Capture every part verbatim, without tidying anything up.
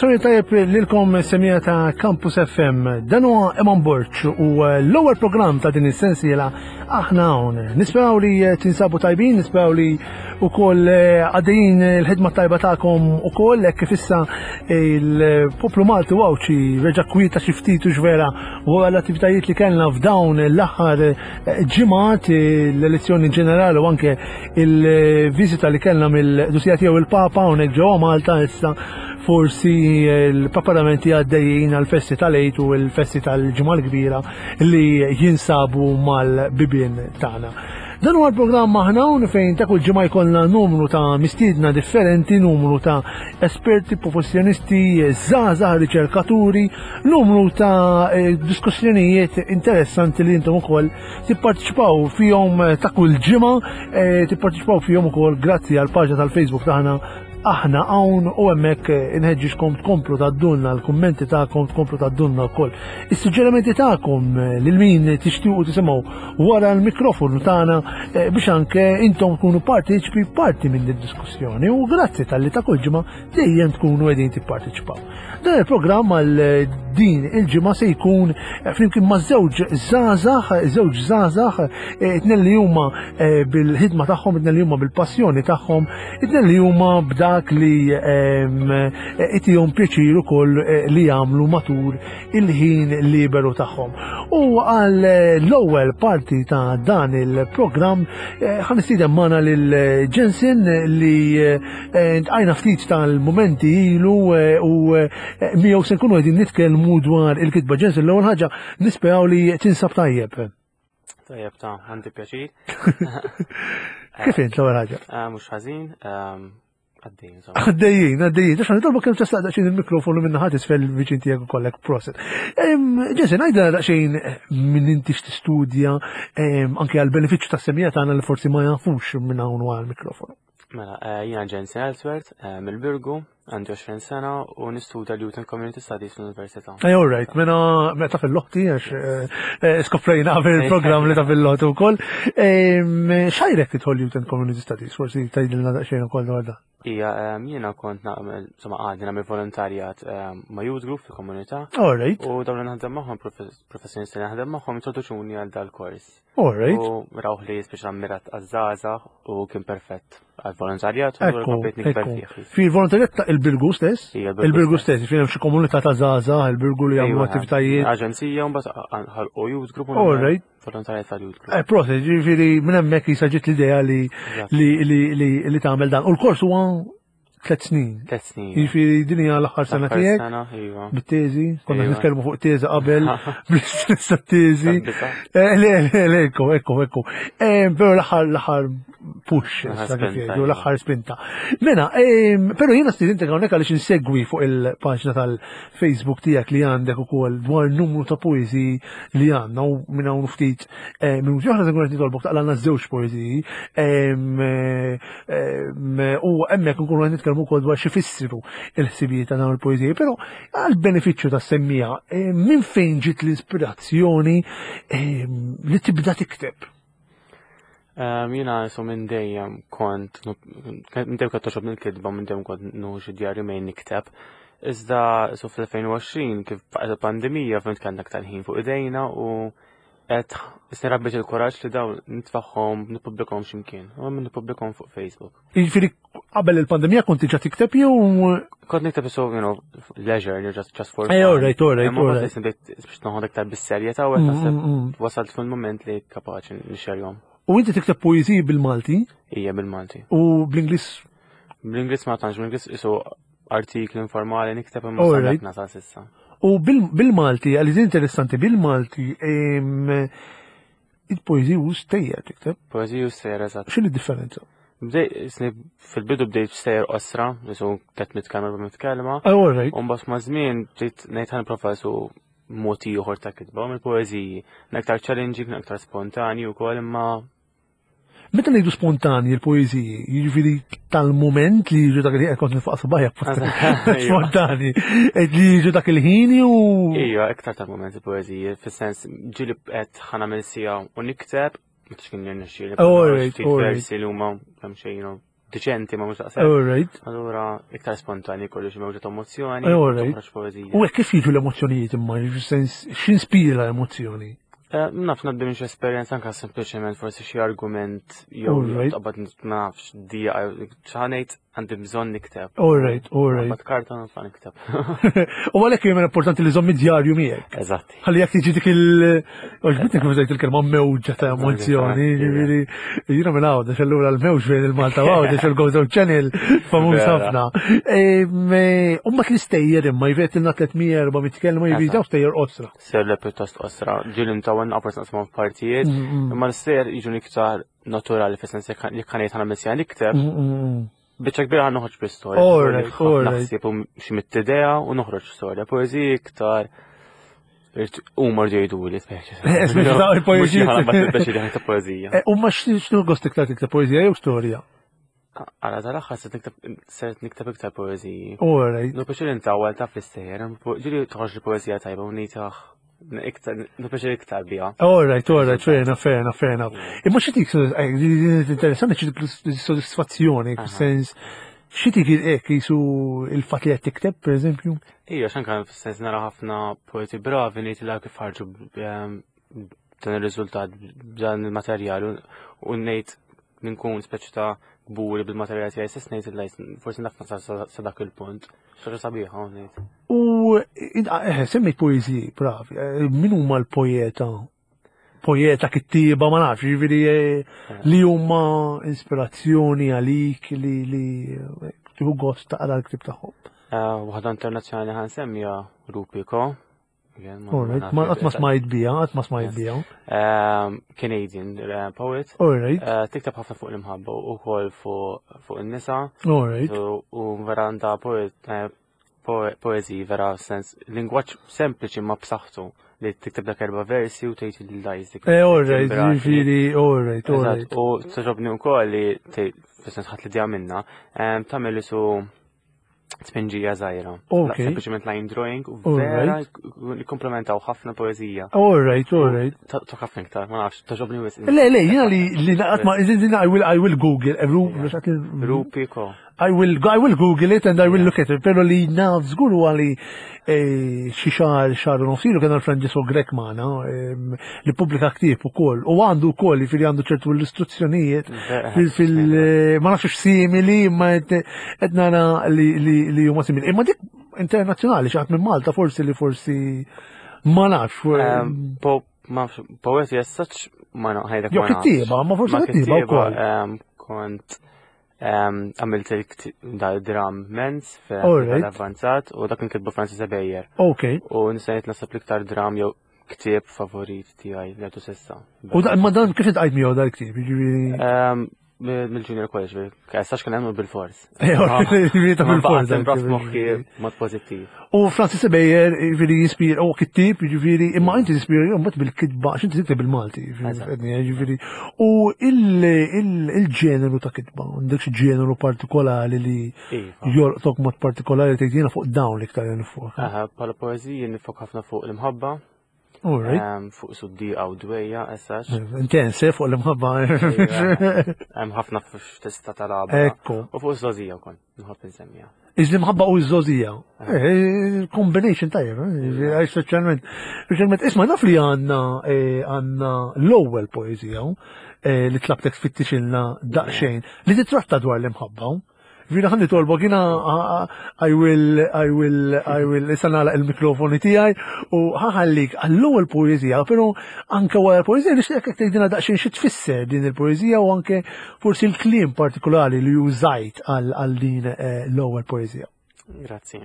Warnofsari tajjeb lilkom semija ta' Campus F M. Dan huwa Eman Borg u l-ewwel programm ta' din is-sensiela Aħna Hawn. Nisperaw li tinsabu tajbin, nisperaw li wkoll għaddejjin il-ħidma tajba tagħkom ukoll hekk kif issa il-poplu Malti u Għawdxi reġa' kwieta xi ftit u x'vera wara l-attivitajiet li kellna f'dawn l-aħħar ġimgħat, l-elezzjoni ġenerali u anke il-viżita li kellna mill-Qdusija Tiegħu il-Papa hawnhekk ġewwa Malta. Issa forsi l-preparamenti għaddejjin għal-festi tal-Għid u l-festi tal-Ġimgħa l-Kbira li jinsabu mal-bibien tagħna. Dan huwa l-programm Aħna Hawn, fejn ta' kull ġimgħa jkollna numru ta' mistiedna differenti, numru ta' esperti, professjonisti, żgħażagħ, riċerkaturi, numru ta' eh, diskussjonijiet interessanti li intom ukoll tipparteċipaw fihom ta' kull ġimgħa, eh, tipparteċipaw fihom ukoll grazzi għal paġna tal-Facebook tagħna Aħna Hawn, u hemmhekk inħeġġiġkom tkomplu tgħaddulna l-kummenti tagħkom, tkomplu tgħaddulna wkoll is-suġġerimenti tagħkom lil min tixtiequ tisimgħu wara l-mikrofonu tagħna eh, biex anke intom tkunu parteċipi parti minn id-diskussjoni, u grazzi talli ta' kull ġimgħa dejjem tkunu qegħdin tipparteċipaw. Dan il-programm għal din il-ġimgħa se jkun eh, flimkien ma' żewġ żgħażagħ, żewġ żgħażagħ, eh, tnejn li huma bil-ħidma tagħhom, tnejn li huma bil-passjoni tagħhom, tnejn li huma b'dak li itihom pjaċir ukoll li jagħmlu matul il-ħin liberu tagħhom. U għal l-ewwel parti ta' dan il-programm ħa nistieden magħna lil Jensen li għajna ftit tal-momenti ilu u miegħu se nkunu qegħdin nitkellmu dwar il-kitba. Jensen, l-ewwel ħaġa nisperaw li tinsab tajjeb. Tajjeb ta', għandi pjaċir. Kif int l-ewwel ħaġa? Mhux ħażin, għaddejjin, insomma. Għaddejjin, għaddejjin. Għax nitolbu kemm tista' daqsxejn il-mikrofonu minn naħat isfel viċin tiegħek ukollek, prosit. Jensen, għidilna daqsxejn minn inti, x'tistudja, anke għal benefiċċju tas-semmiegħa tagħna li forsi ma jafux minn hawn wara l-mikrofonu. Mela, eh, jiena Jensen Ellsworth, eh, mill-Birgu, għandi għoxrin sena u nistudja l-Youth and Community Studies fl-Università. Ej, all right, mena meta fil-lotti, għax eh, skoprejna qabel il-programm li ta' fil-lotti wkoll. X'ħajrek tidħol Youth and Community Studies? Forsi tgħidilna daqsxejn ukoll dwar dan. Ija, jiena kont nagħmel, insomma, għadni nagħmel volontarjat ma' youth group fil-komunità. All right. U dawn li naħdem magħhom, professjonisti li naħdem magħhom, introduċuni għal dal-kors. All right. U rawh li speċa mirat għaż-żgħażagħ u kien perfett għal volontarjat u Ekku, komplejt nikber ekku. fih. Fi volontarjat ta' il-Birgu stess? Ija. Il-Birgu stess, fi hemm xi komunità ta' żgħażagħ, il-Birgu li jagħmlu Ejwa, attivitajiet. Aġenzija, u mbagħad ħalqu youth group u All right. volontarjat tal-youth group. Eh, prosit, ġifieri minn hemmhekk jisa ġiet l-idea li Eżatt. li li li li tagħmel dan. U l-kors huwa tliet snin. Tliet snin. Jiġifieri din hija l-aħħar sena L-aħħar tiegħek sena, iva. bit-teżi, konna Iva. nitkellmu fuq teżi qabel, bl-istess teżi. Tabbita. Eh, Le, le, le, ekku, ekku, ekku. Eh, Però l-aħħar l-aħħar push, L-aħħar issa kif spinta, jgħidu, iva. l-aħħar spinta. Mela, ehm, però jiena stidintek hawnhekk għaliex insegwi fuq il-paġna tal-Facebook tiegħek li għandek ukoll dwar numru ta' poeżiji li għandna, u minn hawn ftit eh, minuti oħra se nkun qed nitolbok taqralna żewġ poeżiji ehm, eh, ehm, u hemmhekk nkunu qed nitkellmu wkoll dwar xi fissru il-ħsibijiet ta' dawn il-poeżiji, però għal benefiċċju tas-semmiegħa, eh, minn fejn ġiet l-ispirazzjoni ehm, li tibda tikteb? Um, Jiena so minn dejjem kont, minn dejjem kont togħġobni l-kitba, minn dejjem kont nieħu xi djarju mejn nikteb. Iżda so fl-elfejn u għoxrin kif baqgħet il-pandemija fhimt kellna aktar ħin fuq idejna u qed issa rabbejt il-kuraġġ li dawn nitfagħhom, nippubblikahom x'imkien. U minn nippubblikahom fuq Facebook. Jiġifieri qabel il-pandemija konti ġa tikteb jew? Kont nikteb so, you know, leisure, you know, just, just for Eh, fun. all right, all right, Imma all mbagħad right. issa bdejt biex noħod iktar bis-serjetà u qed Mm, naħseb mm, mm. wasalt fil-moment li kapaċi nixxerjhom. U inti tikteb poeżiji bil-Malti Ija, bil-Malti. u bl-Ingliż? Bl-Ingliż ma tantx, bl-Ingliż isu artikli informali nikteb imma All sa right. nasal s'issa. U bil- bil-Malti, għalli interessanti, bil-Malti, em, il-poeżiji u stejjer tikteb. Poeżiji u stejjer, eżatt. X'inhi differenza? Bdej, isni fil-bidu bdejt stejjer qosra, isu tliet mitt kelma, erba' mitt kelma. Ah, all right. U mbagħad ma' żmien bdejt ngħid ħa nipprova su mod ieħor ta' kitba mill-poeżiji. Aktar challenging, aktar spontani wkoll, imma Meta ngħidu spontani il-poeżiji, jiġifieri tal-moment li jiġu dak il-ħin, kont nifaq subgħajja spontani, li jiġu dak il-ħin u Ija, iktar tal-moment il-poeżiji, fis-sens ġieli qed ħa nagħmel siegħa u nikteb, ma tix kien jirnexxieli. All right, Ftit all right. versi li huma kemm xejn, you know, diċenti ma mhux daqshekk. All right. Allura iktar spontani kollu xi mewġa ta' emozzjoni, All right. toħroġ poeżija. U hekk kif jiġu l-emozzjonijiet imma, sens x'inspira l-emozzjoni? Eh, Naf ngħaddi minn xi esperjenza anke sempliċement forsi xi argument jew All right. taqbad ma nafx dija ċanejt għandi bżonn nikteb. All right, all right. Taqbad karta nitla' nikteb. U għalhekk jien importanti li żomm id-djarju miegħek. Eżatti. Ħalli jekk tiġi dik il- Għoġbitni kif użajt il-kelma mewġa ta' emozzjoni, ġifieri jiena minn Għawdex allura l-mewġ bejn il-Malta u Għawdex il-Gozo Channel famuż Vera. ħafna. U mbagħad l-istejjer imma jvet ilna tliet mija erba' mitt kelma jiġifieri daw stejjer qosra. Ser le pjuttost qosra, ġieli ntawwa forsi naqsmu f'partijiet, Mm, imma l-istejjer jiġu iktar naturali fis-sens jekk jekk ħanejt ħana missja nikteb, mm, biċċa kbira ħan noħroġ bi-storja. All right, all right. Naħseb u xi mitt idea u noħroġ storja. Poeżiji iktar huma rġu jgħiduli, speċi. Eh, speċi ta' il-poeżiji. Mhux ħana speċi li ħana poeżija. U ma x'nu gost iktar tikteb, poeżija jew storja? Għala tal-aħħar se nikteb se nikteb iktar poeżiji. All right. Nu pjaċir intawwal ta' fl-istejjer, ġieli toħroġ li poeżija tajba u ngħid iktar, nu pjaċir iktar biha. All right, all right, fair enough, fair enough, fair enough. Imma xi tik interessanti xi dik sodisfazzjoni, Aha. sens xi tik hekk jisu il-fatt li qed tikteb, per eżempju? Ija, xanka fis-sens nara ħafna poeti bravi ngħid la kif ħarġu b- dan ir-riżultat b'dan il-materjal u- u ngħid nkun speċi ta' kburi bil-materjal tiegħi stess ngħid li forsi naf nasal sa sa dak il-punt. Xi ħaġa sabiħa u ngħid. U eh, semmejt poeżiji, bravi, eh, min huma l-poeta? Poeta, kittiba, ma nafx, jiġifieri eh, li huma ispirazzjoni għalik li li eh, tieħu gost taqra l-ktib tagħhom. Eh, Waħda internazzjonali ħa nsemmija Rupi Ko. Again, ma- All right, nafx ma qatt ma jekk- smajt biha, qatt ma smajt biha. Ehm, Canadian eh, poet. All right, Eh, Tikteb ħafna fuq l-imħabba u wkoll fuq fuq in-nisa. all right. So, U vera għandha poet, eh, poe- poeziji vera sens lingwaġġ sempliċi ma b'saħħtu li tikteb dak erba' versi u tgħid il-lajs dik. Eh, all right, jiġifieri, all right, all Eżatt, right. u togħġobni wkoll li tgħid fis-sens ħadd l-idea minna, em, tagħmel isu tpinġija żgħira. Ok. Sempliċement line drawing u All vera right. li komplementaw ħafna poeżija. All right, all right. Tok ħafna iktar, ma nafx, togħġobni wisq. Le, le, jiena li li naqat ma, I will, I will Google, eh, Ru- Rupi Ko. I will, I will Google it and I will look at it, pero li naf żgur huwa li eh, xi xahar xahar u nofs ilu kien Francesco Grech magħna em, li pubblika ktieb ukoll u għandu wkoll jiġifieri għandu ċertu illustrazzjonijiet fil, fil ma nafx simili imma qed qed nara li li li huma simili. Imma dik internazzjonali xi ħadd minn Malta forsi li forsi ma nafx. Em, Po, ma nafx, poeti as such, ma naf, ħajdek Jew ma nafx. kittieba, ma forsi Ma kittieba wkoll. em, kont em, għamilt il-dram Mens All right. fil-avvanzat u dak nkitbu Francis Ebejer. Ok. U nista' ngħid nasab l-iktar dram jew ktieb favorit tiegħi li għadu s'issa. U da, ma dan kif intqajt miegħu dal-ktieb, jiġifieri. Em, Mill-junior college, sax kien hemm bil-fors. Jiġifieri ta' Ma bil-fors. baqgħet imbras dal-ktieb, moħħi jiġifieri. mod pożittiv. U Francis Ebejer, jiġifieri jispira, u kittib, jiġifieri, imma inti tispira mbagħad bil-kitba, għax inti tikteb bil-Malti, Eżatt. jiġifieri. U il- il- il-ġeneru ta' kitba, għandek xi ġeneru partikolari li Iva. jolqtok mod partikolari tgħid jiena fuq dawn l-iktar nifok. Aha, bħala poeżiji nifok ħafna fuq l-imħabba, All right. em, fuq suddiqa u dwejja, as such. Intens, eh, fuq l-imħabba. Hemm ħafna f'tista tal-għabra. Ekku. U fuq iż-żogħżija wkoll, nħobb insemmija. Iż l-imħabba u ż-żogħżija. Eh, Combination tajjeb, eh, għax soċjalment. Soċjalment, isma' naf li għandna eh, għandna l-ewwel poeżija eh, li tlabtek tfittixilna daqsxejn li titratta dwar l-imħabba. Vina ħa nitolbok jiena I will I will I will issa nagħlaq il-mikrofoni tiegħi u ħa nħallik għall-ewwel poeżija, però anke wara l-poeżija nixtieq jekk tgħidilna daqsxejn xi tfisser din il-poeżija u anke forsi l-kliem partikolari li użajt għal għal din eh, l-ewwel poeżija. Grazzi.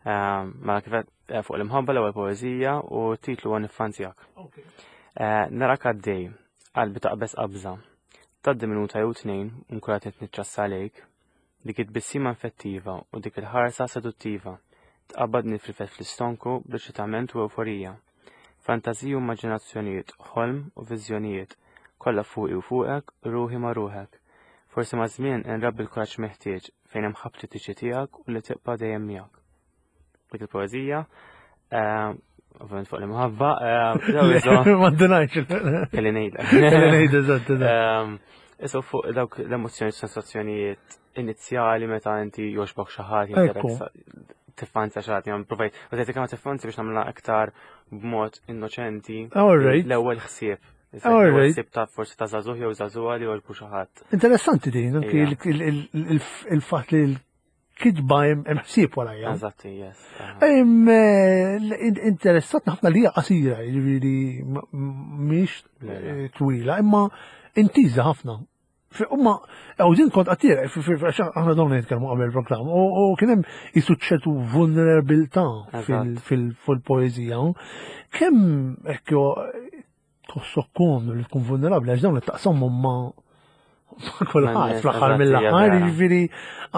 Ehm, Mela kif għedt, eh, fuq l-imħabba l-ewwel poeżija u titlu għan Niffanzjak. Eh, Narak għaddej, qalbi taqbeż qabża. Tgħaddi minuta jew tnejn, nkun qed niċċassa għalejk. Dik it-tbissima infettiva u dik il-ħarsa seduttiva. Tqabbadni fil-fet fl-istonku b'eċitament u euforija. Fantaziji u immaġinazzjonijiet, ħolm u viżjonijiet, kollha fuqi u fuqek, ruħi ma' ruħek. Forsi ma' żmien inrabbi l-kuraġġ meħtieġ fejn hemm ħabti tiġi tiegħek u li tibqa' dejjem miegħek. Dik il-poeżija, eh, ovvjament fuq l-imħabba, eh, Ma ndunajx. kelli ngħidlek. Kelli ngħid, eżatt, eżatt. Ehm, Isu fuq dawk l-emozzjoni, sensazzjonijiet inizjali meta inti jogħġbok xi ħadd, Ekku. tiffanzja xi ħadd, jgħam provajt, u kemm tiffanzja biex nagħmilha aktar b'mod innoċenti. All right. L-ewwel ħsieb. All L-ewwel right. ħsieb ta' forsi ta' żagħżugħ jew żagħżugħa li jogħġbu xi ħadd. Interessanti din, anki Ija. il- il- il- il-fatt li l-kitba hemm hemm ħsieb warajja. Eżatti, yes. aha. Em, eh, l- Interessat ħafna li hija qasira, jiġifieri m- m- mhix Le, le. eh, twila, imma intiża ħafna. Fi- Imma, għaw din kont għattira, għax aħna donna nitkellmu qabel il-programm, u u kien hemm jisu ċertu vulnerabilità Eżatt. fil-poezija. Kemm ekku tħossok komdu li tkun vulnerabbli, għax dawn li taqsamhom ma' ma' kulħadd Ma' nies, fl-aħħar eżatt, hija mill-aħħar, vera. jiġifieri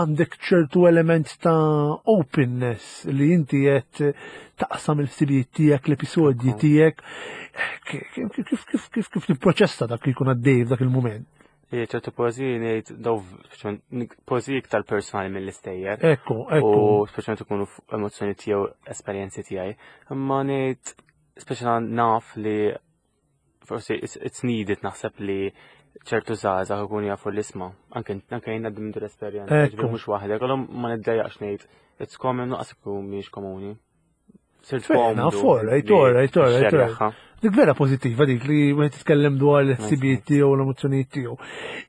għandek ċertu element ta' openness li inti qed taqsam il-ħsibijiet tiegħek, l-episodji Ekku. tiegħek. Kif kif kif kif kif tipproċessa dak li jkun għaddej f'dak il-mument? Ija, ċertu poeziji ngħid daw speċjalment poeziji iktar personali mill-istejjer. Ekku, ekku. U speċjalment ikunu fuq emozzjoni tiegħu, esperjenzi tiegħi. Imma ngħid speċjalment naf li forsi it's, it's needed naħseb li ċertu żgħażagħ ikunu jafu l-isma. Anke anke jien għaddi minn din l-esperjenza, Ekku. ġifieri mhux waħdek, allura ma niddejjaqx ngħid it's common nuqqas ikun mhix komuni. Sirt Fair enough, komdu all right, li all right, all right, all right. xerjaħħa. Dik vera pozittiva dik li wieħed jitkellem dwar l-ħsibijiet tiegħu u l-emozzjonijiet tiegħu.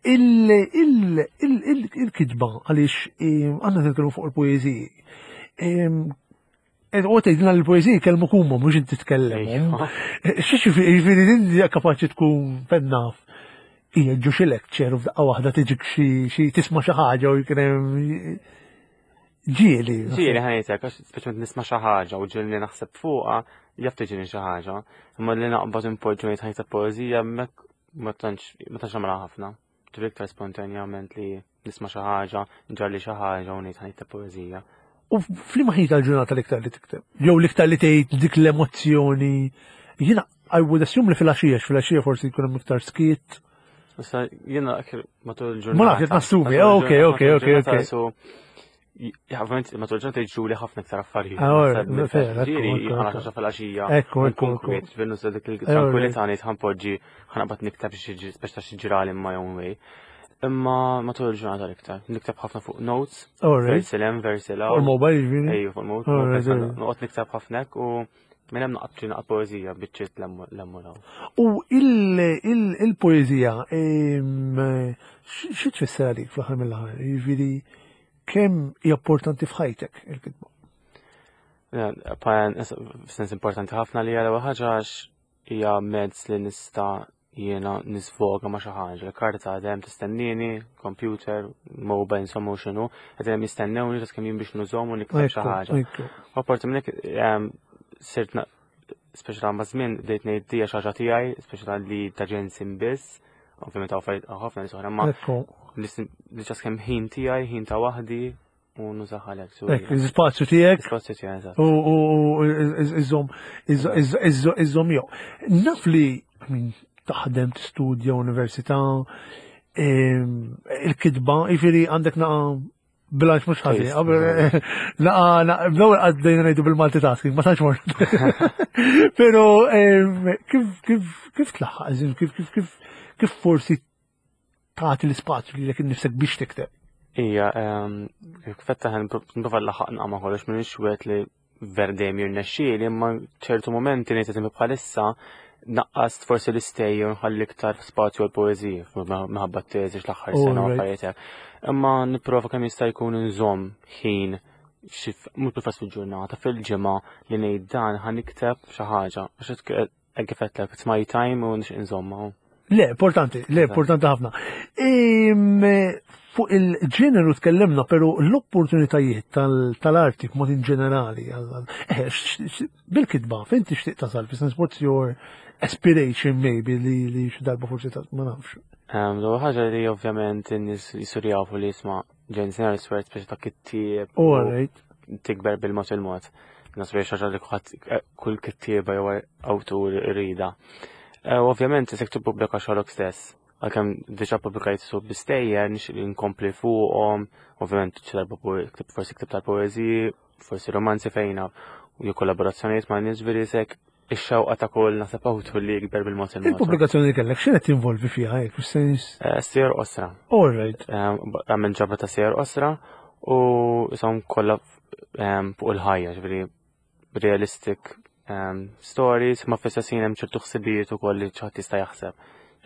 Il- il- il- il- Il-kitba għaliex em, għandna nitkellmu fuq il-poeżiji. Em, U tgħidilna l-poeżiji kellmu huma mhux inti tkellem. Ejwa. Xi jiġifieri din hija kapaċi tkun fennaf. Hija ġo xi lecture u f'daqqa waħda tiġik xi xi tisma' xi ħaġa u jkun hemm ġieli. Ġieli ħa ngħidlek, għax speċjalment nisma' xi ħaġa u ġieli naħseb fuqha, jaf tiġini xi ħaġa. Imma li naqbad impoġġu ngħid ħajta poeżija hemmhekk ma tantx ma tantx nagħmilha ħafna. Ġifieri iktar spontanjament li nisma' xi ħaġa, ġarli xi ħaġa u ngħid ħajta poeżija. U f'liema ħin tal-ġurnata l-iktar li tikteb? Jew l-iktar li tgħid dik l-emozzjoni. Jiena I would assume li fil-għaxija, fil-għaxija forsi jkun hemm iktar skiet. Issa jiena matul il-ġurnata. Ma nafx, qed nassumi. Matul Ok, il-ġurnata- ok, matul ok, il-ġurnata ok. su- Ovvjament matul il-ġurnata jiġruli ħafna iktar affarijiet. Ah, ora, Naħseb minn fair, ekku, Ġieli ekku, ħana ekku. xi fil-għaxija. Ekku, ekku, nkun ekku. kwiet, ġifieri nuża dik Eh, il-tranquillità ngħid ħa npoġġi ħa naqbad nikteb xi speċi ta' xi ġrali in my own way. Imma matul il-ġurnata l-iktar. Nikteb ħafna fuq notes, All right. versi 'l hemm, versi 'l U hawn. l-mobile jiġifieri. Ejju, fuq il-mobile. All right, all right. Noqgħod nikteb ħafna hekk u minn hemm naqgħod naqgħod poeżija biċċiet lemmu law. U il- il- il-poeżija, em, xi xi tfisser għalik fl-aħħar mill-aħħar? Jiġifieri kemm hija importanti f'ħajtek il-kitba? F'sens importanti ħafna li għal ħaġa għax hija mezz li nista' jiena nisfoga ma' xi ħaġa. Il-karta għadhem tistennini, computer, mobile, insomma u x'inhu, qed hemm jistennewni just kemm jien biex nużhom u nikteb xi Ekku, ħaġa. ekku. U apparti minn hekk em, sirt na- speċjal ma' żmien bdejt ngħid dija xi ħaġa tiegħi, speċjal li ta' ġensin biss, ovvjament hawn affarijiet hawn ħafna nies oħra, ma Ekku. li li ġas kemm ħin tiegħi, ħin ta' waħdi u nużaha għalhekk. So, Ekk, l-ispazju tiegħek Spazju tiegħi, eżatt. u u- u iżżomm iżżomm jew. Naf li I mean, taħdem tistudja università, em, il-kitba, jiġifieri għandek naqa bilanċ mhux ħażin. Taste, Qabel- Naqa, naqa, bl-ewwel għaddejna ngħidu bil-multitasking, ma tantx mort. Però em, kif kif kif tlaħħaq, eżempju, kif kif kif kif forsi tagħti l-ispazju lilek innifsek biex tikteb. Ija, kif fettaħ nprova laħaq naqma kollox minn xwet li verdem jirnexxieli, imma ċertu momenti ngħid eżempju bħalissa naqqast forsi l-istejjer u nħalli iktar spazju għal poeżija minħabba t-teżi l-aħħar sena u Alright. affarijiet hekk. Imma nipprova kemm jista' jkun nżomm ħin xi mhux bil fil-ġurnata, fil-ġimgħa li ngħid dan ħa nikteb xi ħaġa. Għax hekk kif għedtlek, it's my time u nixtieq nżomma. Le, importanti, le, importanti ħafna. Im, Fuq il-ġeneru tkellimna, pero l-opportunitajiet tal- tal-arti b'mod in ġenerali, għal- għal- eh, x- x- bil-kitba, fejn tixtieq tasal, fi sens what's your aspiration maybe li li xi darba forsi ta' ma nafx. L-ewwel ħaġa li ovvjament in-nies jisir jafu li jisma' Jensen Swear speċi ta' kittieb u All right. tikber bil-mod il-mod. Nasib xi ħaġa li kulħadd kull kittieba jew awtur irida. Eh, U ovvjament isek tippubblika xogħolok stess. Għalkemm diġà pubblikajt su bistejjer nixtieq li nkompli fuqhom, ovvjament xi darba po- ktib forsi ktib tal-poeżiji, forsi romanzi fejna u jew kollaborazzjonijiet ma' nies veri sek ix-xewqa ta' kull naħseb awtur li jikber bil-mod il-mod. Il-pubblikazzjoni li kellek x'inhet tinvolvi fiha hekk, fis-sens. Eh, Stejjer qosra. All right. Għamil ġabra ta' stejjer qosra u jisom kollha em, fuq il-ħajja, ġifieri realistic em, stories, ma fl-istess ħin hemm ċertu ħsibijiet ukoll li ħadd jista' jaħseb.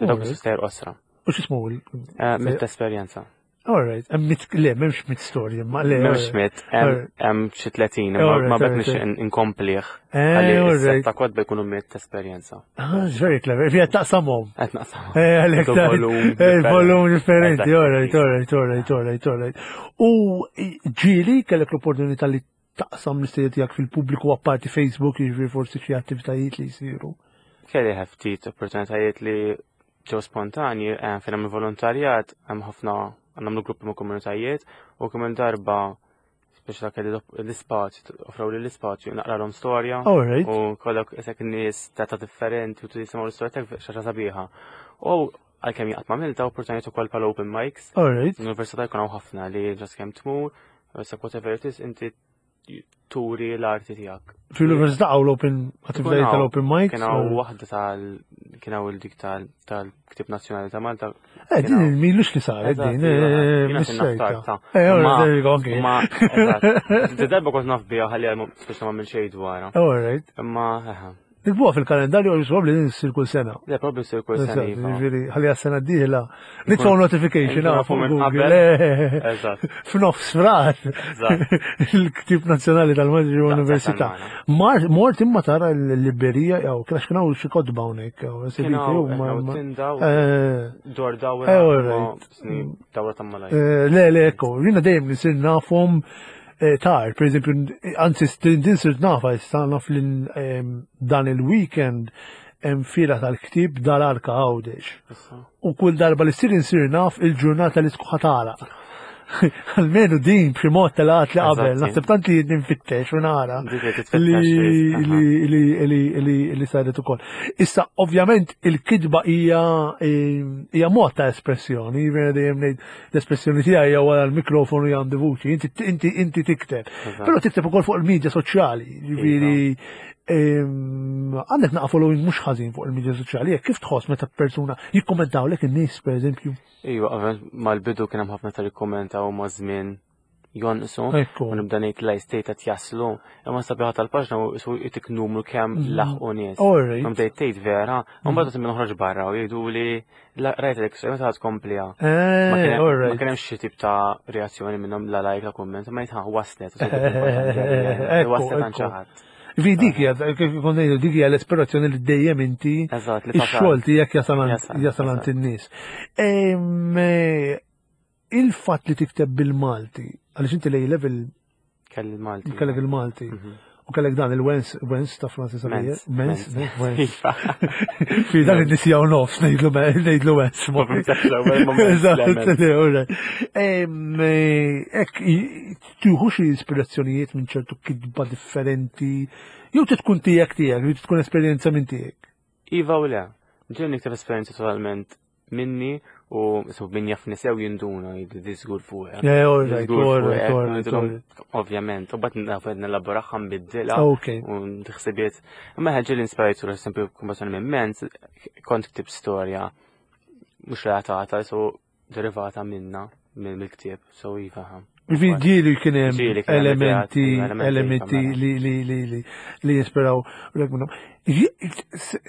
Dawk Alright. stejjer qosra. U x'ismu? il- Eh, Mitt esperjenza. All right, hemm mitt, le, m'hemmx mitt storja, ma le. M'hemmx mitt, hemm Alright. hemm xi tletin, imma Alright, ma bekk alright, nixtieq inkomplih. Eh, Ħalli all right. s-setta kotba jkunu mitt esperjenza. Ah, it's very clever. Fija taqsamhom. Qed naqsam. Eh, għalek Ċertu volum eh, differenti. volum differenti, Eżatt, all right, all right, all right, all right, all right. U ġieli kellek l-opportunità li taqsam l-istejjer tiegħek fil-pubbliku apparti Facebook, jiġifieri forsi xi attivitajiet li jsiru. Kelli ftit opportunitajiet li ġew spontanji, eh, fejn hemm volontarjat, hemm ħafna nagħmlu gruppi ma' komunitajiet u kemm il-darba speċa kelli l-ispazju, offraw li l-ispazju, naqralhom storja All right. u kollok isek nies ta' ta' differenti u tisimgħu l-istorja tiegħek xi ħaġa sabiħa. U għalkemm jaqt ma' milta opportunitajiet ukoll bħala open mics. All right. L-università jkun hawn ħafna li just kemm tmur, issa whatever it is, inti turi l-arti tiegħek. Fil-università hawn l-open attivitajiet tal-open mics. Kien hawn waħda tal kien hawn il-dik tal tal-Ktib Nazzjonali ta' Malta. Eh, din il-milux li saret Eżatt, din. iva, eh, jiena kien missejta. naf tard, Eh, all Ma- right, there you go, okay. Ma, eżatt. Di darba kont naf biha ħalli għal speċa ma minn xejn dwarha. All right. Imma, eħe. Nikbuha fil-kalendarju għal probabbli din issir kull sena. Le, probably sir kull sena. Eżatt, iva. Jiġifieri, ħalli għas-sena d-dieħla. Nitfgħu notification Nkun ah, nafu fuq minn Google. qabel. Eh, Eżatt. F'nofs frar. Eżatt. Il-ktib nazzjonali tal-Malti Daqshekk Università. għal Mar- Mort imma tara l-librerija jew kienx kien hawn xi kotba hawnhekk jew Kien esibiti hawn huma- hawn ma- tinda u Eh, dor dawra. Eh, all ma right. sni dawra ta' malaj. eh, Le, le, ekko, jiena dejjem nisir nafhom eh, tar, per eżempju, anzi din sirt nafa, issa naf li em, dan il-weekend hemm fira tal-ktib dal-arka Għawdex. Issa. U kull darba li ssir insir naf il-ġurnata li tkun ħa tagħlaq. Almenu din b'xi mod telaqat li qabel, Eżatti. naħseb tant li ninfittex u nara Dik li titfittex li li- li li li li li saret ukoll. Issa ovvjament il-kitba hija eh, hija mod ta' espressjoni, jiena dejjem ngħid l-espressjoni tiegħi hija wara l-mikrofonu hija għandi vuċi, inti inti inti tikteb. Eżatt. Però tikteb ukoll fuq il-medja soċjali, jiġifieri ehm, għandek naqa following mhux ħażin fuq il-medja soċjali, jekk kif tħoss meta persuna jikkommentawlek in-nies pereżempju. Iva, ovvjament mal-bidu kien hemm ħafna tal-ikkommenta u ma' żmien jonqsu. Ekku. U nibda ngħid la state qed jaslu, imma sabiħa tal-paġna u su jtik numru kemm Mhm. laħqu nies. All right. U bdejt tgħid vera, u mbagħad minn noħroġ barra u jgħidu li la- rajt l meta tkompliha. Ma Eh, kien all ma right. kien hemm xi tip ta' reazzjoni minnhom la like la kumment, ma jgħid waslet. Ekku, Waslet għand ekku. xi ħadd. Vi dik hija kif kont ngħidu dik hija l-esperazzjoni li dejjem inti Eżatt, li tasal. ix-xogħol tiegħek jasal għand- Jasal, jasal għand eżatt. in-nies. Ehm, eh, Il-fatt li tikteb bil-Malti, għaliex inti lej level Kelli il-Malti. kellek il-Malti Mhm. u kellek dan il-Wens Wens ta' Francis Xavier. Mens, Mens, Wens. Iva. Fi dan in-nies jew nofs ngħidlu ngħidlu Wens. L-ewwel moment, Eżatt, le, le, all right. Ehm, eh, Ek, i- tieħu xi ispirazzjonijiet minn ċertu kitba differenti, jew tkun tiegħek tiegħek, jew tkun esperjenza minn tiegħek. Iva u le. Ġen nikteb esperjenza totalment minni u so min jafni sew jinduna jgħid żgur fuq. Yeah, all right, all right, all right, all right. Ovvjament, u bat naf nelaboraha nbiddilha Okay. u ħsibiet. Imma ħeġġi l-inspirajtu, per esempio, kombazzjoni minn Mens, kont ktib storja mhux relatata, so derivata minna minn mill-ktieb, so iva. ha. Ġifieri ġieli kien hemm Ġieli kien hemm elementi, ideat, elementi, elementi mela. li li li li li jispiraw lek minnhom. Ġi-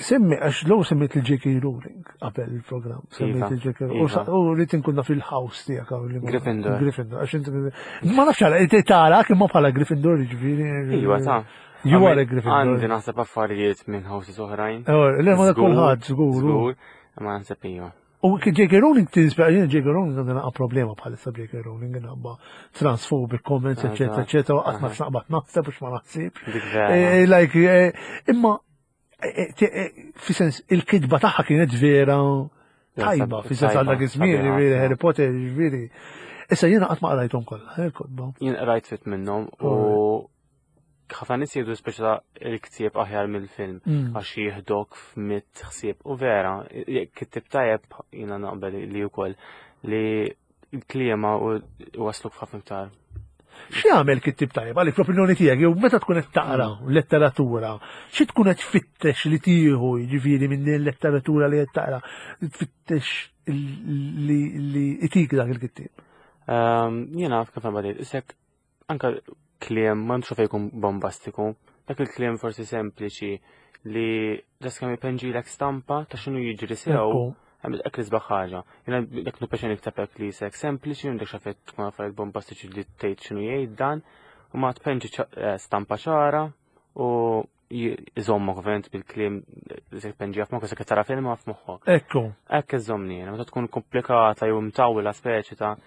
Semmi, għax l semmejt il-J K. Rowling qabel il-programm, semmejt Iva, il-J K. Rowling. U iva. sa- U rrid inkun naf il-house tiegħek hawn li ma- Gryffindor. Gryffindor, għax inti ma nafx għala, inti tara imma bħala Gryffindor ġifieri. Iva, ta' You are a Gryffindor. Għandi naħseb affarijiet minn houses oħrajn. Oh, le, ma dak Żgur, kulħadd, żgur. Żgur, ma naħseb iva. U J K. Rowling tinspira, jien J K. Rowling għandna naqa problema bħalissa J K. Rowling minħabba transphobic comments, eccetera, Eżatt. eccetera, qatt ma Aha. naqbad naħseb biex ma naħsibx. Dik vera. Eh, Like, eh, imma, eh, eh, eh, fi sens, il-kitba tagħha kienet vera tajba, fi sens għal dak iż-żmien, Sabiħa, ġifieri Harry Potter, ġifieri. Issa jiena qatt ma qrajthom kollha, eh, il-kotba. Jien qrajt fit minnhom u ħafna nies jgħidu speċa il-ktieb aħjar mill-film Mm. għax jieħdok f'mitt ħsieb u vera, jekk kittib tajjeb jiena naqbel li wkoll li l-kliema u wasluk f'ħafna iktar. X'jagħmel kittib tajjeb għalik fl-opinjoni tiegħek jew meta tkun qed taqra letteratura, xi tkun qed tfittex li tieħu jiġifieri minn din letteratura li qed taqra, tfittex li li itik dak il-kittieb. Ehm, Jiena kif nbadil, isek anka kliem ma nxu fejn jkun bombastiku, dak il-kliem forsi sempliċi li just kemm ipenġilek stampa ta' x'inhu jiġri sew. Ekku. Hemm hekk l-isbaħ ħaġa. Jiena dak nu peċen nikteb hekk li sek sempliċi, m'għandek xafet tkun affarijiet bombastiċi li tgħid x'inhu jgħid dan, u ma tpenġi ċa- eh, stampa ċara u iżommok ovvjament bil-kliem li se tpenġi f'moħħok se tara film f'moħħok. Ekku. Hekk iżommni jiena, meta tkun komplikata jew mtawla speċi ta'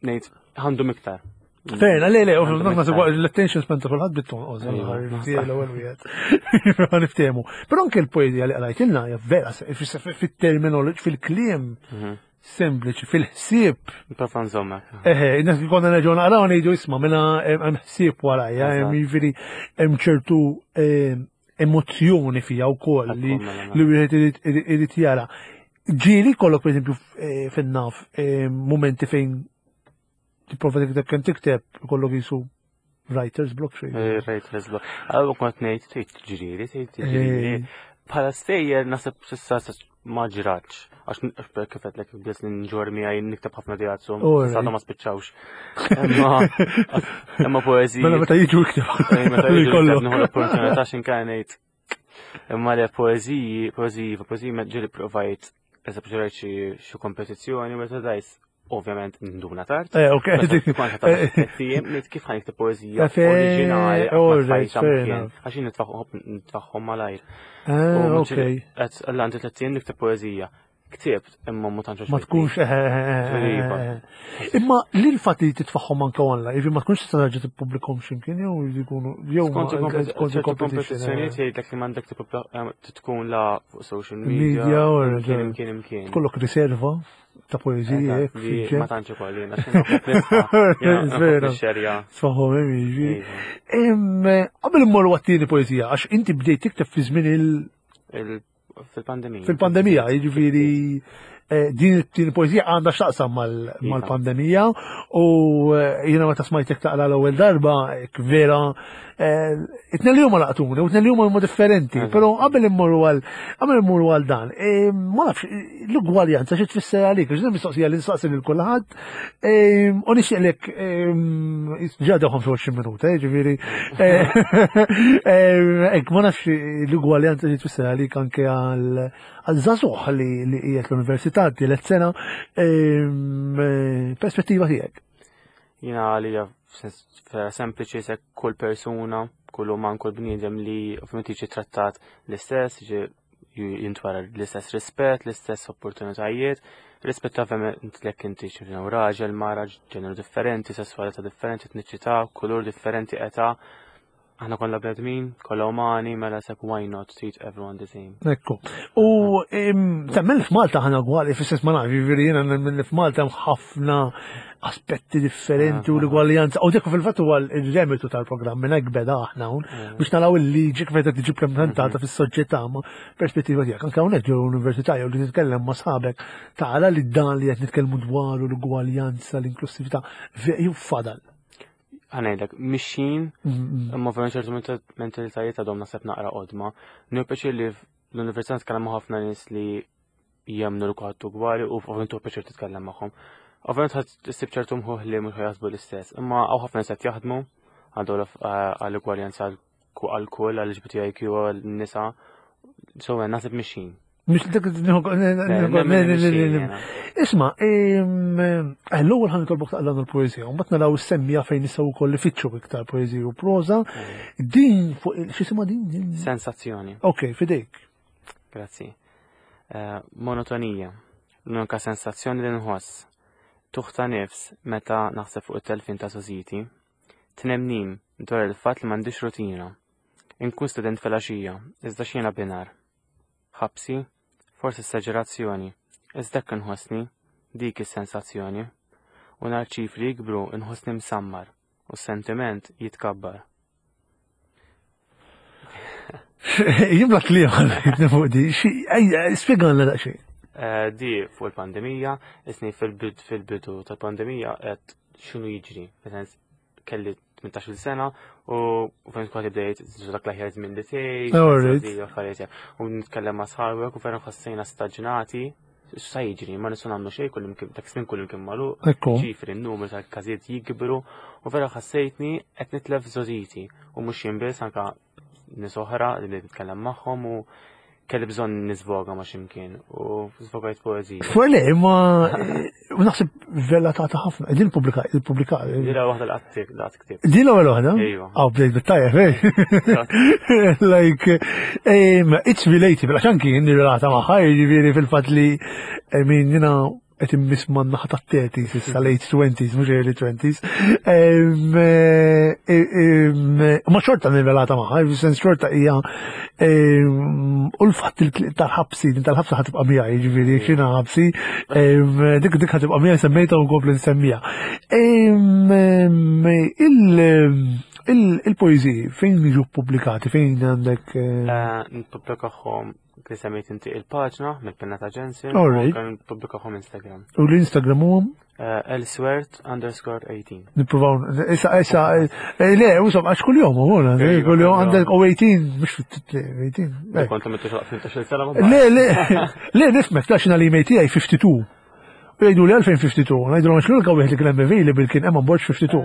ngħid għandhom iktar. Fejna, le, le, Għandhom naħseb iktar. l-attention span ta' kulħadd bit-tonqos, Ejwa, l-ewwel wieħed. Ma niftehmu. Però anke l-poeżija li qrajtilna hija vera fit-terminology, fil-kliem Mhm. sempliċi, fil-ħsieb. Prova nżommek. Eħe, nas konna nerġgħu naqraw ngħidu isma' minna hemm ħsieb warajja, hemm Eżatt. jiġifieri hemm ċertu eh, emozzjoni fija wkoll li Ekku, mela, mela. li wieħed irid- irid irid jara. Ġieli kollok pereżempju eh, fin-naf eh, momenti fejn tipprova tikteb kemm tikteb kollok jisu writer's block xejn. Eh, Writer's block. Għallu kont ngħid tgħid ġriri, tgħid ġriri. Bħala stejjer naħseb s'issa ma ġratx. Għax għax kif għedtlek bdejt li nġorr miegħi nikteb ħafna dijazzu. Alright. Sa ma spiċċawx. Imma imma poeżiji. Mela meta jiġu ikteb. Eh, Meta Li jiġu kollu. nikteb nieħu l-opportunità x'inkan ngħid. Imma le poeżiji, poeżiji, poeżiji ma ġieli provajt eżempju ġrajt xi xi kompetizzjoni meta dajs ovvjament nduna tard. Eh, ok. Meta tkun ta' tiem, ngħid kif ħa nikteb poeżija Eh, fe- oriġinali, alright, ma tfajtha fair mkien, enough. għax jien nitfaħħom nitfaħħom malajr. Ah, ok. Qed għandi tliet ijiem nikteb poeżija. Ktibt imma ma tantx Ma tkunx eh, eh, eh, eh. Imma li l-fatt li titfaħħom anke online, jiġifieri ma tkunx tista' terġa' tippubblikhom x'imkien jew jkunu jew ma- Skont skont ċertu il-competition, kompetizzjonijiet eh. jgħidlek li m'għandek tip- tkun la fuq social media, Media, or- imkien imkien imkien. Tkollok riserva ta' poeżiji hekk Li ma fil-ġenb. tantx ukoll jiena x'inhu Vera. xerja. Tfaħħom hemm jiġifieri. Em, Qabel immorru għat-tieni poeżija, għax inti bdejt tikteb fi żmien il- Fil-pandemija. fil-pandemija, jiġifieri eh, din it-tieni poeżija għandha x'taqsam mal- Iva. mal-pandemija u eh, jiena meta smajtek taqra l-ewwel darba, hekk vera eh, it-tnejn li huma laqtuni u t-tnejn li huma huma differenti, Eżatt. però qabel immorru għal qabel immorru għal dan, eh, ma nafx l-ugwaljanza xi tfisser għalik, għax din mistoqsija li nsaqsi lil kulħadd, eh, u nixtieqlek ġa ħamsa u għoxrin minuta, eh, ġifieri eh, eh, hekk ma nafx l-ugwaljanza xi tfisser għalik anke għal għal żagħżugħ li li qiegħed l-università tielet sena, em, eh, perspettiva tiegħek. Jiena għalija f'sens vera sempliċi se kull persuna, kull uman, kull bniedem li ovvjament jiġi trattat l-istess, jiġi jintwara l-istess rispett, l-istess opportunitajiet, rispett ovvjament lek inti xi raġel, mara, ġeneru differenti, sessualità differenti, etniċità, kulur differenti, età. Aħna kollha bnedmin, kollha umani, mela sek why not treat everyone the same. Ekku. U em, temmen li f'Malta ħana gwali, fis-sens ma nafx, jiġifieri jiena nemmen li f'Malta hemm ħafna aspetti differenti u l-ugwaljanza. U dik fil-fatt huwa l-remitu tal-programm minn hekk beda aħna hawn biex naraw il-liġi kif qed tiġi implementata fis-soċjetà ma perspettiva tiegħek. Anke hawnhekk ġew l-università jew li titkellem ma' sħabek tara li dan li qed nitkellmu dwaru l-ugwaljanza, l-inklusività, jew fadal. Ħa ngħidlek, mixin, Mm, imma ovvjament ċertu menta- mentalitajiet għadhom naħseb naqra qodma. Nieħu pjaċir li l-università nitkellem ma' ħafna nies li jemmnu li kulħadd ugwali u ovvjament hu pjaċir titkellem magħhom. Ovvjament ħadd issib ċertu mħuħ li mhux jaħsbu l-istess, imma hawn ħafna nies qed jaħdmu għandu għall-ugwaljanza għal kull, għall-L G B T I Q, għal-nisa. So, naħseb mixin. Mhux dik Nemmen li mixin jiena. Isma, em, eh, l-ewwel ħa nitolbok taqra l-poeżija, u mbagħad naraw semmija fejn nistgħu wkoll ifittxu iktar poeżija u proża. Din fuq x'isimha din? Din- Sensazzjoni. Ok, fidejk. Grazzi. Eh, monotonija. L-unika sensazzjoni li nħoss. Tuħta nifs meta naħseb fuq it-telfin ta' sożiti. Tnemnim dwar il-fatt li m'għandix rutina. Inkun student fil-għaxija, iżda x'jiena binar. Ħabsi, forsi esagerazzjoni, iżda hekk inħossni, dik is-sensazzjoni. U nar ċifri jikbru inħossni msammar u s-sentiment jitkabbar. Jimla kliem għal fuq di, xi- ejja, spjegalna daqsxejn. Eh, Di fuq il-pandemija, isni fil-bid fil-bidu tal-pandemija qed x'inhu jiġri. Fis-sens Kelli tmintax-il sena u fejn kont bdejt dak l-aħjar żmien li tgħix, u nitkellem ma' sħabek u vera ħassejna staġnati. X'sa jiġri, ma nistgħu nagħmlu xejn, kull imkien dak żmien kull imkien magħluq, ċifri n-numru tal-każijiet jikbru u vera ħassejtni qed nitlef żgħożiti u mhux jien biss, anke nies oħra li bdejt nitkellem magħhom u kelli bżonn nisvoga ma' x'imkien u żvogajt poeżija. Fuq le, imma u naħseb vella ta' ħafna. Din pubblika, il-pubblika. Din waħda l-qatt ktib. Din l-ewwel waħda? Ejwa. Aw bdejt bit-tajjeb, eh? Like, it's relatable, għax anki jien nirrelata magħha, jiġifieri fil-fatt li min jiena qed immiss man-naħa tat-thirties issa late twenties, mhux early twenties. Ma xorta nirrelata magħha, fis-sens xorta hija u l-fatt tal-ħabsi, din tal-ħabsa ħatibqa' miegħi, jiġifieri x'inha ħabsi, dik dik ħatibqa' miegħi semmejtha u nkompli nsemmiha. Il-poeżiji fejn jiġu ppubblikati, fejn għandek? Nippubblikahom kif semmejt inti il-paġna mill-pinna ta' Jensen, All right. u kan nippubblikahom Instagram. U l-Instagram huwa? Elswert underscore eighteen. Nippruvaw, issa, issa, le, usom, għax kuljum, u għuna, Ejwa, kuljum kuljum. għandek u eighteen, mhux eighteen. Le, kont għamilt tmintax-il sena, ma Le, le, le, nifmek, ta' xina l-email tiegħi fifty-two. U jgħidu li għalfejn fifty-two, ngħidu għax l-unika wieħed li kien hemm available kien Eman Borg fifty-two.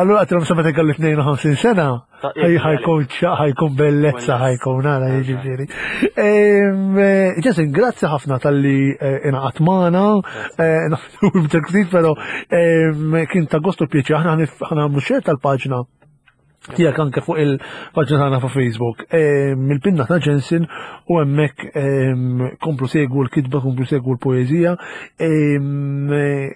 Allura għatilhom sa meta kellu tnejn u ħamsin sena, Ta' ħaj-, ħajkun ċa-, ħajkun bellezza, ħajkun nara, jiġifieri. Ehm, eh, Jason, grazzi ħafna tal-li, eh, ingħaqad magħna, eh, nafu b'dak ftit, però, ehm, kien ta' gostu pjaċir, aħna ħanif-, ħanagħmlu share tal-paġna tiegħek anke fuq il-paġna tagħna fuq Facebook, ehm, mill-pinna ta' Jensen, u hemmhekk, ehm, komplu segwu l-kitba, komplu segwu l-poeżija. Ehm, eh,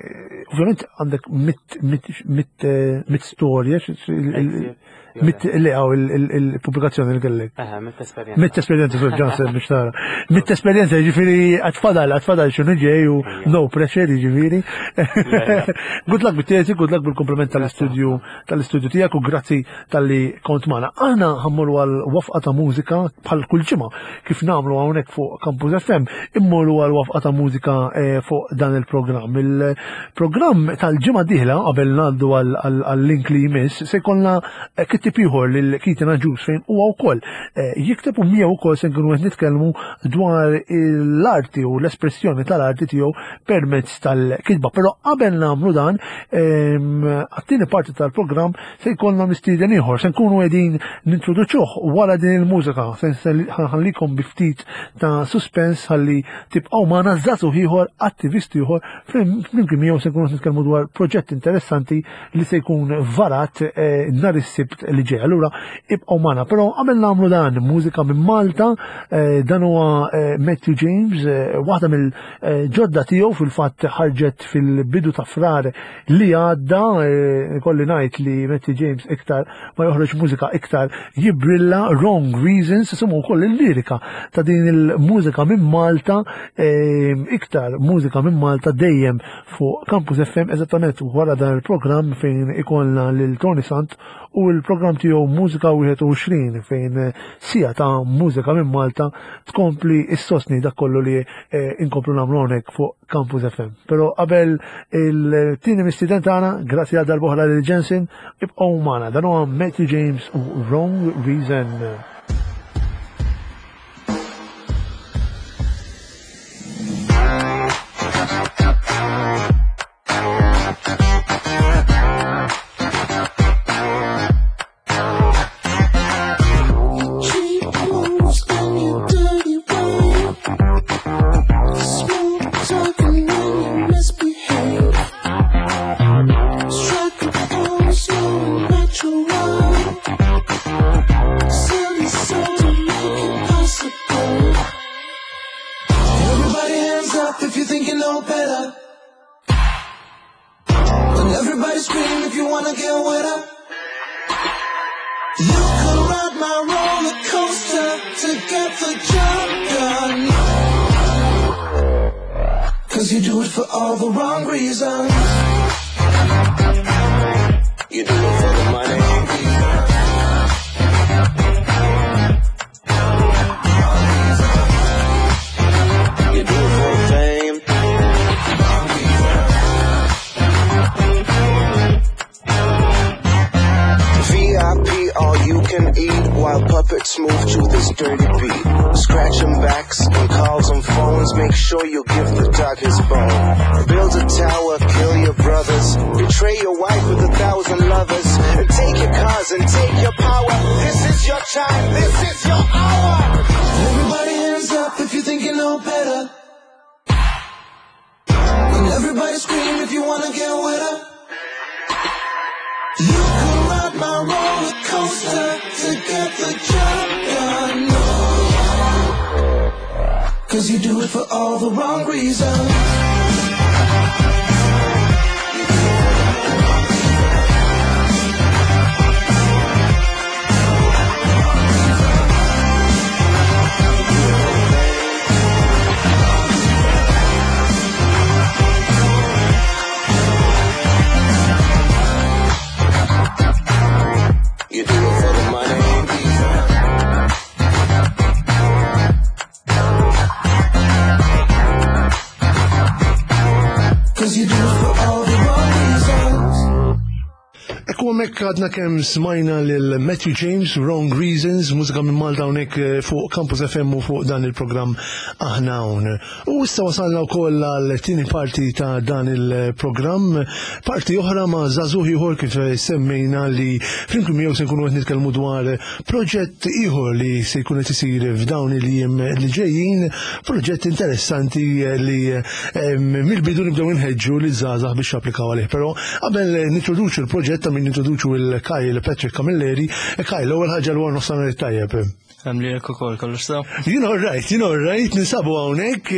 ovvjament għandek mit, mit, mit, eh, mit storja, xi-, xi-, il-, il-, mit, le, għaw, il-, il-, il-pubblikazzjoni li kellek. Eħe, mit esperjenza. Mit esperjenza, sur Johnson, biex tara. Mit esperjenza, jiġifieri, għatfadal, għatfadal xinu ġej u Ejja. no pressure, jiġifieri. Le, le. Good luck bit-tesi, good luck bil-komplement tal-istudju, tal-istudju tiegħek u grazzi tal-li kont magħna. Aħna ħammurru għal wafqa ta' mużika bħal kull ġimgħa kif nagħmlu hawnhekk fuq Campus F M, immorru għal wafqa ta' mużika, eh, fuq dan il-programm. Il-programm tal-ġimgħa dieħla qabel ngħaddu għal, għal, għal link li jmiss se jkollna, eh, kittieb ieħor lil Keaton Agius fejn huwa wkoll, eh, jikteb u miegħu wkoll se nkunu qed nitkellmu dwar l-arti u l-espressjoni tal-arti tiegħu permezz tal-kitba. Però qabel nagħmlu dan, ehm, għat-tieni parti tal-programm se jkollna mistieden ieħor, se nkunu qegħdin nintroduċuh wara din il-mużika, se nħallikom bi ftit ta' suspens ħalli tibqgħu magħna żagħżugħ ieħor, attivist ieħor, flimkien miegħu se nkunu qed nitkellmu dwar proġett interessanti li se jkun varat, eh, nhar is-Sibt li ġej. Allura ibqgħu magħna. Però qabel nagħmlu dan, mużika minn Malta, eh, dan huwa, eh, Matthew James, eh, waħda mill-ġodda tiegħu fil-fatt ħarġet fil-bidu ta' Frar li għadda, eh, kolli ngħid li Matthew James iktar ma joħroġ mużika iktar jibrilla. Wrong Reasons, isimgħu wkoll il-lirika ta' din il-mużika minn Malta, eh, iktar mużika minn Malta dejjem fuq Campus F M eżattament wara dan il-programm fejn ikollna lil Tony Sant u l-programm tiegħu Mużika wieħed u għoxrin fejn sija ta' mużika minn Malta tkompli issostni dak kollu li, eh, inkomplu nagħmlu hawnhekk fuq Campus F M. Però qabel il-tieni mistieden tagħna, grazzi għal darb'oħra lil Jensen, ibqgħu magħna. Dan huwa Matthew James u Wrong Reason. heartbeat. Scratch 'em backs and calls on phones. Make sure you give the dog his bone. Build a tower, kill your brothers. Betray your wife with a thousand lovers. And take your cars and take your power. This is your time, this is your hour. Everybody hands up if you think you know better. And everybody scream if you wanna get wetter. You can ride my roller coaster to get the job done. No. Cause you do it for all the wrong reasons. You do it for the money. Cause you do it for all the wrong reasons. Ekku hemmhekk għadna kemm smajna lil Matthew James, Wrong Reasons, mużika minn Malta hawnhekk eh, fuq Campus FM u fuq dan il-programm Aħna Hawn. U issa wasalna wkoll għal tieni parti ta' dan il-programm, parti oħra ma' żagħżugħ ieħor kif semmejna li flimkien miegħu se nkunu qed nitkellmu dwar proġett ieħor li se jkun qed isir f'dawn il-jiem li ġejjin, proġett interessanti li eh, mill-bidu nibdew inħeġġu li żgħażagħ biex japplikaw għalih. Però qabel nintroduċu l-proġett ta' min nintroduċu il-Kyle Patrick Camilleri. Kyle, l-ewwel ħaġa l nofsinhar tajjeb. Hemm li jekk ukoll kollox sew. You know right, you know right, ninsabu hawnhekk.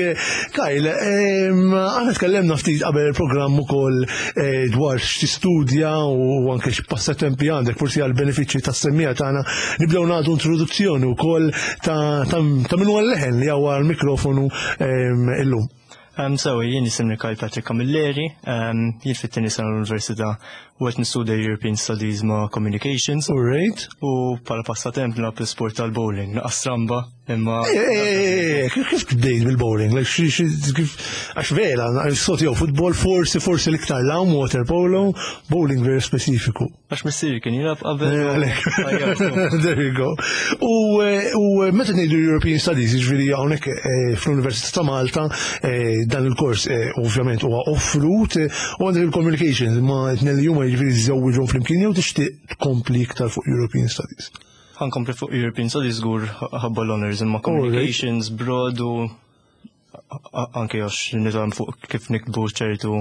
Kyle, em, aħna tkellemna ftit qabel il-programm ukoll eh, dwar x'tistudja u anke x'passatempi għandek, forsi għal benefiċċji tas-semmiegħa tagħna nibdew nagħtu introduzzjoni wkoll ta' ta' ta' min huwa l-leħen li hawn l-mikrofonu em, illum. Um, so, jien jisimni Kyle Patrick Camilleri, um, jien fit-tieni sena l-Università u qed nistudja European Studies ma' Communications All right. u bħala passatemp nilgħab l-sport tal-bowling, naqra stramba imma Eh, eh, eh, Kif kif bdejt bil-bowling? Like, xi- xi- kif- Għax vera, sot jew futbol, forsi, forsi l-iktar lawn, water polo, bowling very specifiku. għax missieri kien jilgħab qabel. Eh, u għalek. għajjartu. There you go. U, eh, u meta ngħidu European Studies, jiġifieri hawnhekk eh, fl-Università ta' Malta, eh, dan il-kors eh, ovvjament huwa offrut eh, u għandek il-communications ma tnejn li huma jiġifieri żewġhom flimkien jew tixtieq tkompli iktar fuq European Studies. Ħa nkompli fuq European Studies żgur ħabba l-honors imma communications broad u a- anke għax nitgħallem fuq kif niktbu ċertu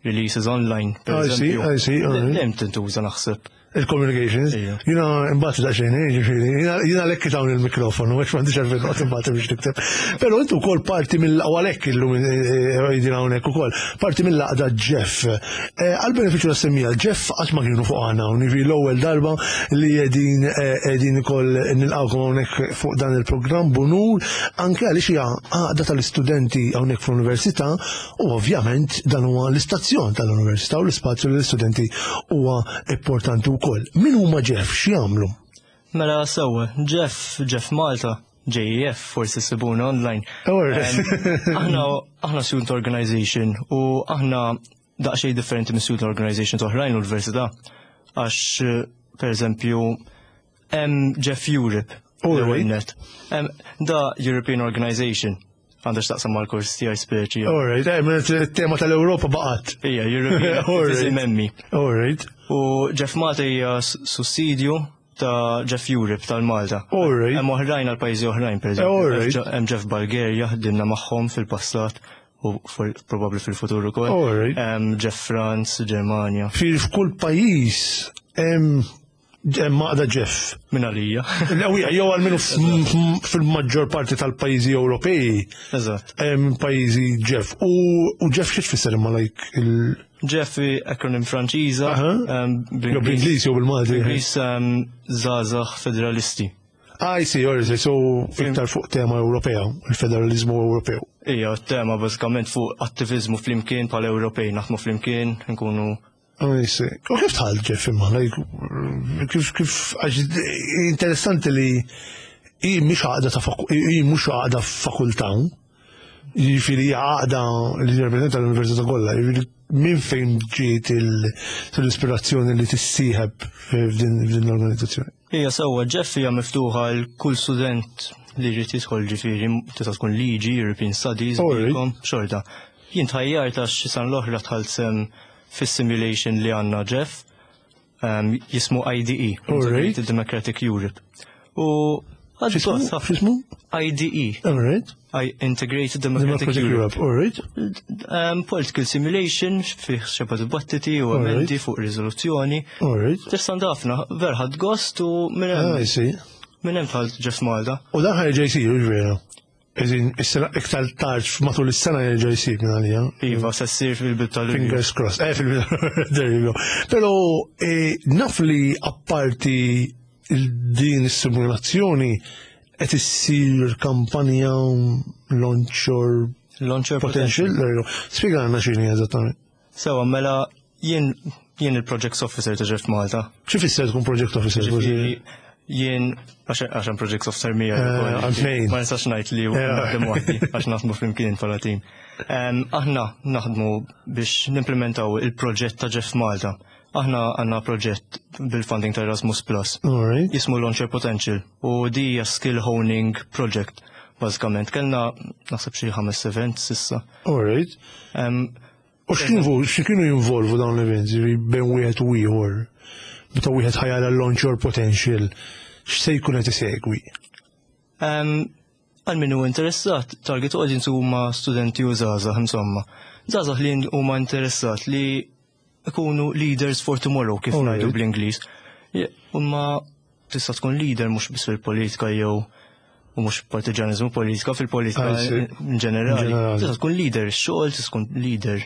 releases online, per I see, eżempju. I see, all right. Dejjem tintuża naħseb. Il-communications. Ija. Jiena imbagħad daqsxejn, eh, ġifieri, jiena jiena lekk hawn il-mikrofonu, għax m'għandix għalfejn noqgħod imbagħad biex nikteb. Però intu wkoll parti mill għalhekk illum qegħdin hawnhekk ukoll, parti mill-għaqda Jeff. Eh, Għal-benefiċċju tas-semmiegħa, Jeff qatt ma kienu fuq aħna hawn, jiġifieri l-ewwel darba li qegħdin eh, qegħdin ukoll nilqgħukom hawnhekk fuq dan il-programm b'unur, anke għaliex hija għaqda tal-istudenti hawnhekk fl-università u ovvjament dan huwa l-istazzjon tal-università u l-ispazju l-istudenti huwa importanti wkoll. Min huma Jeff x'jagħmlu? Mela sewwa, Jeff, Jeff Malta, JEF, forsi sibuna online. Alright. Em, Aħna aħna student organization u aħna daqsxejn differenti minn student organizations oħrajn l-università. Għax, eh, per eżempju, hemm Jeff Europe. Alright. l-ewwel net. Em, Da European Organization. Għandha x'taqsam mal-kors tiegħi speċi. Alright, eh, mela t-tema tal-Ewropa baqgħet. Ija, European Alright. Activism emmi. Alright. U Jeff Malta hija s- sussidju ta' Jeff Europe tal-Malta. Alright. Hemm oħrajn għal pajjiżi oħrajn, per Alright. eżempju. Hemm Jeff Bulgaria ħdimna magħhom fil-passat u for- probabbli fil-futur ukoll. Alright. Hemm Jeff France, Ġermanja. Fi f'kull pajjiż hemm hemm għaqda Jeff. Min għalija. L-ewwel jew għalmenu f- fil-maġġor parti tal-pajjiżi Ewropej Eżatt. hemm pajjiżi Jeff. U u Jeff xi tfisser imma like il Jeff hi acronym Franċiża. Aha. em, jew bl-Ingliż jew bil-Malti. Bl-Ingliż em, Żgħażagħ Federalisti. I see, alright, so iktar fuq tema Ewropea, il-federalizmu Ewropew. Ija, tema bażikament fuq attivizmu flimkien bħala Ewropej, naħdmu flimkien, nkunu I see. U kif dħalt Jeff imma, like, kif, kif, għax interessanti li hi mhix għaqda ta' faku, hi mhux għaqda fakultà, jiġifieri hija għaqda li tirrappreżenta l-Università kollha, jiġifieri minn fejn ġiet il- l-ispirazzjoni li tissieħeb f'din f'din l-organizzazzjoni? Ija sewwa, Jeff hija miftuħa għal kull student li jrid jidħol, ġifieri tista' tkun liġi, European Studies, Alright. BCom, xorta. Jien tħajjart għax sena l-oħra dħalt sem fis-simulation li għandna Jeff, um, jismu I D E, Alright. Integrated Democratic Europe. U ħadt X'ismu? gost ħafna. X'ismu? I D E, Alright. I Integrated Democratic Democratic Europe. Europe. Alright. Um, political simulation, fih xeba dibattiti u Alright. emendi fuq riżoluzzjoni. Alright. Interessanti ħafna, vera ħadt gost u minn Ah, I hemm see. minn hemm dħalt Jeff Malta. U dan ħa jerġa' jsir, vera. Eżin, is-sena iktar tard matul is-sena jerġa' jsir minn għalija. Iva, se ssir fil-bidu tal Fingers crossed. Eh, fil there you go. Pero eh, naf li apparti il- din is-simulazzjoni qed issir kampanja Launch Your Launch Your Potential. There you go. Spjegana x'inhi eżattament. Sewa, mela jien jien il-Projects Officer ta' Jeff Malta. Xi fisser tkun Project Officer? Ġifieri, jien għax għax hemm Projects Officer miegħi Eh, ukoll, għal-tnejn. ma nistax ngħid li Eh. naħdem waħdi għax naħdmu flimkien bħala team. Em, Aħna naħdmu biex nimplementaw il-proġett ta' Jeff Malta. Aħna għandna proġett bil-funding ta' Erasmus Plus. Alright. Jismu Launch Your Potential u di hija skill honing project bażikament. Kellna naħseb xi ħames events s'issa. Alright. Em, U x'kienu x'kienu jinvolvu dawn l-events, ġifieri bejn wieħed u ieħor? Meta wieħed ħa jara Launch Your Potential, x'se jkun qed isegwi? Em, Għal min hu interessat, target audience huma studenti u żgħażagħ insomma. Żgħażagħ li huma interessat li ikunu leaders for tomorrow, kif Alright. ngħidu bl-Ingliż. Je- Imma tista' tkun leader mhux biss fil-politika jew u mhux partiġanizmu politika, fil-politika I see. in ġenerali. In ġenerali. Tista' tkun leader ix-xogħol, tista' tkun leader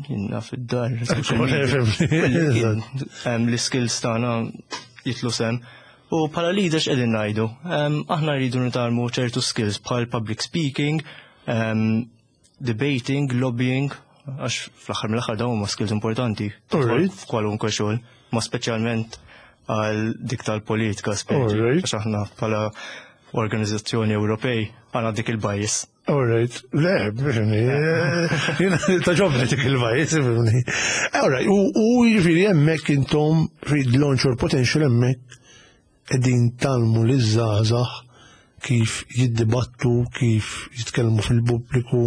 jiena fid-dar, tista' tkun leader. Eżatt. Em, L-skills tagħna jitlu sem. U bħala leaders qegħdin ngħidu, em, aħna rridu nitgħallmu ċertu skills bħal public speaking, em, debating, lobbying, għax fl-aħħar mill-aħħar dawn huma skills importanti Alright. f'kwalunkwe xogħol, ma speċjalment għal dik tal-politika speċi, Alright. għax aħna bħala organizzazzjoni Ewropej għandna dik il-bias. Alright, le, bifimni, jiena togħġobni dik il-bias, bifimni. Alright, u u jiġifieri hemmhekk intom fi Launch Your Potential hemmhekk qegħdin tgħallmu liż-żgħażagħ kif jiddibattu, kif jitkellmu fil-pubbliku,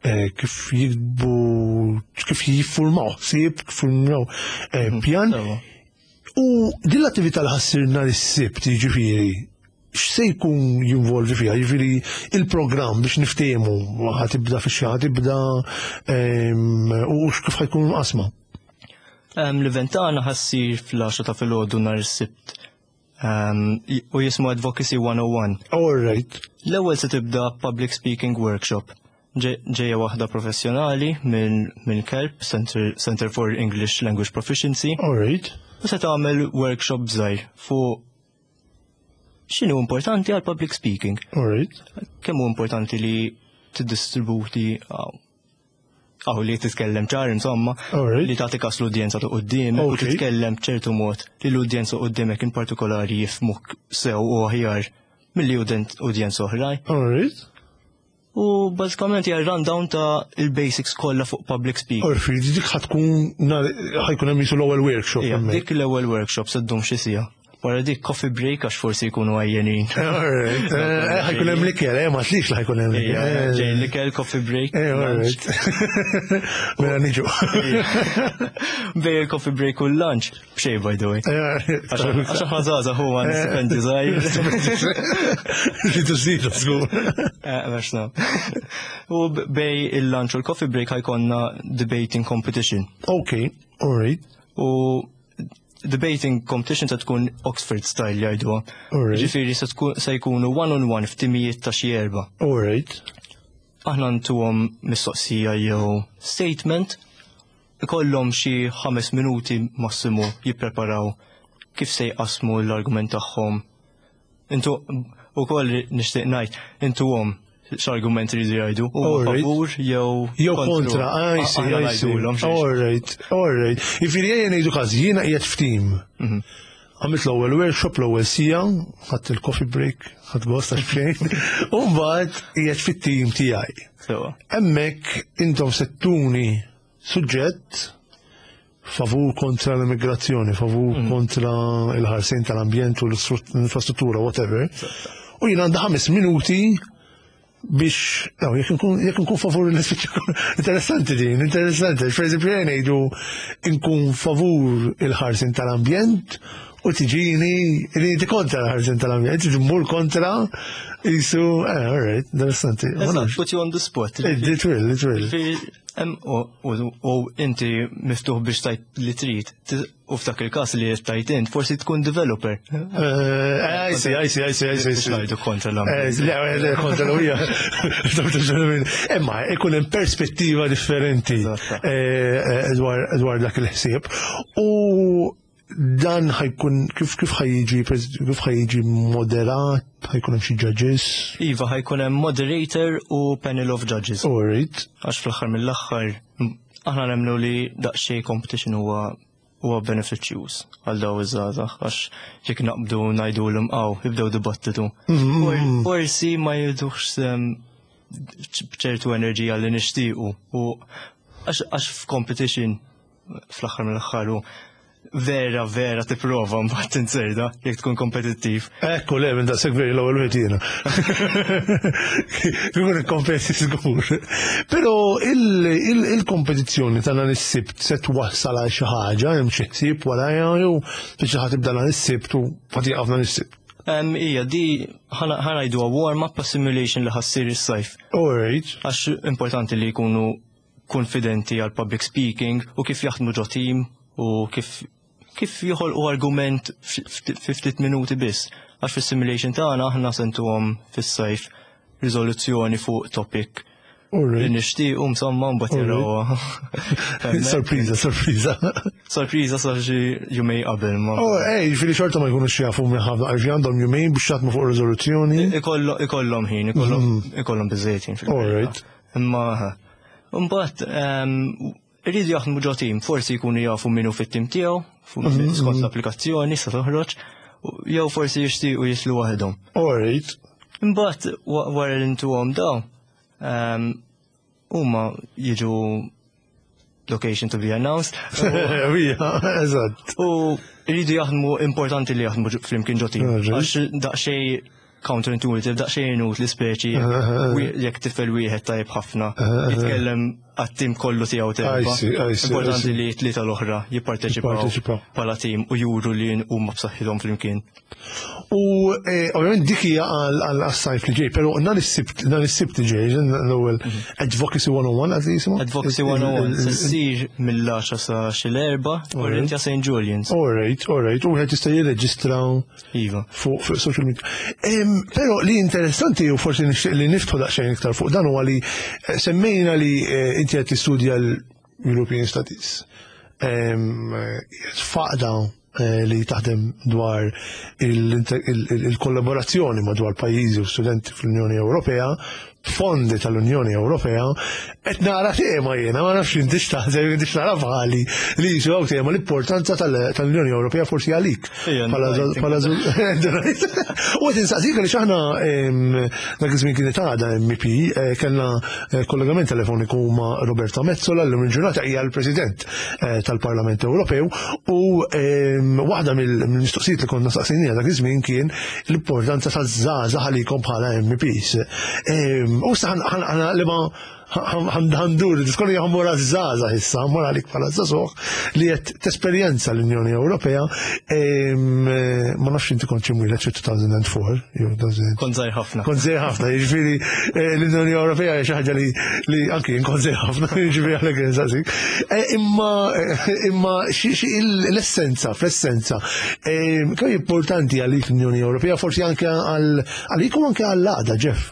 eh, kif jiktbu, kif jiffurmaw ħsieb, kif jiffurmaw eh, pjan. Sewa. U din l-attività li ħa ssir nhar is-Sibt, jiġifieri, x'se jkun jinvolvi fiha? Jiġifieri il-programm biex niftehmu, ħa tibda fi ħa tibda em, u kif ħa jkun qasma. Em, L-event tagħna ħa ssir fl-għaxra ta' filgħodu nhar is-Sibt. Em, u jismu Advocacy one oh one. All right. L-ewwel se tibda public speaking workshop. Ġe- Ġejja waħda professjonali minn minn CELP, Center, Center for English Language Proficiency, All right. u se tagħmel workshop żgħir fuq x'inhu importanti għal public speaking. All right. Kemm hu importanti li tiddistributi għaw li titkellem ċar insomma, Alright. li tagħti kas l-udjenza ta' quddiemek u Okay. titkellem b'ċertu mod li l-udjenza quddiemek in partikolari jifhmuk sew u aħjar milli udent- udjenza oħrajn. All right. U bażikament hija rundown ta' il-basics kollha fuq public speaking. Orfi, dik ħa tkun nhar- ħa jkun hemm jisu l-ewwel workshop Ija, hemmhekk. dik l-ewwel workshop se ddum xi siegħa. Wara dik coffee break għax forsi jkunu għajjenin. All right. Eh, ħa jkun hemm l-ikel, eh, ma tlix li ħa jkun hemm Ija, l-ikel. ġej l-ikel, coffee break. Eh, all lunch. right. Mela niġu. Bejn il-coffee break u l-lunch. B'xejn, by the way. Għax għax aħna żgħażagħ huwa stipendi żgħir. Li tużidu, żgur. Eh, għax na. U b- bejn il-lunch u l-coffee break ħa jkollna debating competition. Okay, all right. U debating competition se tkun Oxford style jgħiduha. Alright. Ġifieri se tkun se jkunu one on one f'timijiet ta' xi erba'. All right. Aħna ntuhom mistoqsija jew statement, ikollhom xi ħames minuti massimu jippreparaw kif se jqasmu l-argument tagħhom. Intu ukoll nixtieq ngħid intuhom x'argument iridu jgħidu, u Alright. favur jew Jew kontra, I see, Aħna I see. ngħidulhom xiex. All right, all right. Jiġifieri ejja ngħidu każ, jiena qiegħed f'tim. Għamilt l-ewwel workshop, l-ewwel siegħa, ħadt il-coffee break, ħadt gost għax b'xejn, u mbagħad qiegħed fit-tim tiegħi. Sewa. Hemmhekk intom se ttuni suġġett favur kontra l-immigrazzjoni, favur kontra il-ħarsien tal-ambjent u l-infrastruttura, whatever. U jien għandha ħames minuti biex, no, jekk nkun jekk nkun favur l-ispiċċa, interessanti din, interessanti. Per eżempju, jien ngħidu nkun favur il-ħarsin tal-ambjent u tiġini li inti kontra l-ħarsin tal-ambjent, inti tmur kontra jisu, eh, all right, interessanti. Ma nafx. Put you on the spot. It will, it will. Ġifieri, hemm- U u- u inti miftuħ biex tgħid li trid. Ti- U f'dak il-każ li tgħid int, forsi tkun developer. Eh, I see, I see, I see, I see. Biex ngħidu kontra Eh, l-ambjent. Le, le, kontra l-ija. Imma, ikun hemm perspettiva differenti Eżatt. eh, eh, dwar dwar dak il-ħsieb. U dan ħa jkun, kif kif ħa jiġi, kif ħa jiġi moderat, ħa jkun hemm xi judges? Iva, ħa jkun hemm moderator u panel of judges. All right. Għax fl-aħħar mill-aħħar aħna nemmnu li daqsxejn competition huwa huwa benefiċjuż għal daw iż-żgħażagħ, għax jekk naqbdu ngħidulhom aw jibdew dibattitu. For- Forsi ma jidux b'ċertu enerġija li nixtiequ u għax għax f'competition fl-aħħar mill-aħħar u vera vera tipprova mbagħad tinserda jekk tkun kompetittiv. Ekku, le, minn daqshekk veri l-ewwel wieħed jiena. Ikun ikkompeti żgur. Però il-kompetizzjoni ta' nhar is-Sibt se twassal għal xi ħaġa, hemm xi ħsieb wara jew biex ħa tibda nhar is-Sibt u ħa tieqaf nhar is-Sibt? Em, Ija, di ħa ngħidu warm-up pa' simulation li ħa ssir is-sajf. All right. Għax importanti li jkunu konfidenti għal public speaking u kif jaħdmu ġo team u kif kif joħolqu argument fi ftit minuti biss. Għax fis-simulation tagħna aħna se ntuhom fis-sajf riżoluzzjoni fuq topic All li right. nixtiequ insomma mbagħad jarawha. Sorpriża, sorpriża. Sorpriża sa xi jumejn qabel ma. Oh, ej, ġifieri xorta ma jkunux jafu minn ħafna, għax għandhom jumejn biex jaħdmu fuq riżoluzzjoni. Ikollhom ikollhom ħin, ikollhom ikollhom biżejjed ħin fil All right. Imma mbagħad ehm, iridu jaħdmu ġo team, forsi jkunu jafu minnu fit-tim tiegħu, fu- skont l-applikazzjoni sa toħroġ, u- jew forsi jixtiequ jislu waħedhom. All right. Imbagħad wa- wara li ntuhom daw, ehm, huma jiġu location to be announced. Ija, eżatt. U jridu jaħdmu, importanti li jaħdmu ġo- flimkien ġo team. Alright. Għax daqsxejn counterintuitive, daqsxejn inutli speċi, wi- jekk tifel wieħed tajjeb ħafna, jitkellem għat-tim kollu tiegħu terba. I see, I see, I Importanti see. li tlieta l-oħra jipparteċipaw Jipparteċipaw. bħala tim u juru li huma b'saħħithom flimkien. U eh, ovvjament dik hija għal għal sajf li ġej, però nhar is-Sibt nhar is-Sibt li ġej, l-ewwel Advocacy one oh one għad jisimha? Advocacy one oh one se ssir mill-għaxra sa xi l-erbgħa Orrentia Saint Julian's. All right, all right. U wieħed jista' jirreġistra Iva. fuq fuq social media. Em, Però li interessanti u forsi nixtieq li niftħu daqsxejn iktar fuq dan huwa li eh, semmejna li eh, inti qed tistudja l-European Studies. Em, eh, Faqda eh, li taħdem dwar il-kollaborazzjoni madwar pajjiżi u studenti fl-Unjoni Ewropea, fondi tal-Unjoni Ewropea, qed nara tema jiena, ma nafx intix taħseb, intix nara bħali li jisu hawn tema l-importanza tal-Unjoni Ewropea forsi għalik. Ija, Bħala bħala U qed insaqsik li aħna dak iż-żmien kienet għadha M E P, eh, kellna eh, kollegament telefoniku ma' Roberta Metsola, l il-ġurnata hija l-President eh, tal-Parlament Ewropew, u waħda mill-mistoqsijiet li konna saqsinija dak iż-żmien kien l-importanza taż-żgħażagħ għalikom bħala M E Ps. U issa li ma ħa ndur, diskoni ħa mmur għaż-żgħażagħ issa, ħa mmur għalik bħala żagħżugħ li qed tesperjenza l-Unjoni Ewropea. Ma nafx inti kont imwieled fi two thousand and four. Kont żgħir ħafna. Kont żgħir ħafna, jiġifieri eh, l-Unjoni Ewropea hija xi ħaġa li li anki jien kont żgħir ħafna, jiġifieri għalhekk insaqsik. Eh, imma imma xi l-essenza, fl-essenza, kemm importanti għalik l-Unjoni Ewropea, forsi anke għalik u anke għall-għada, Jeff?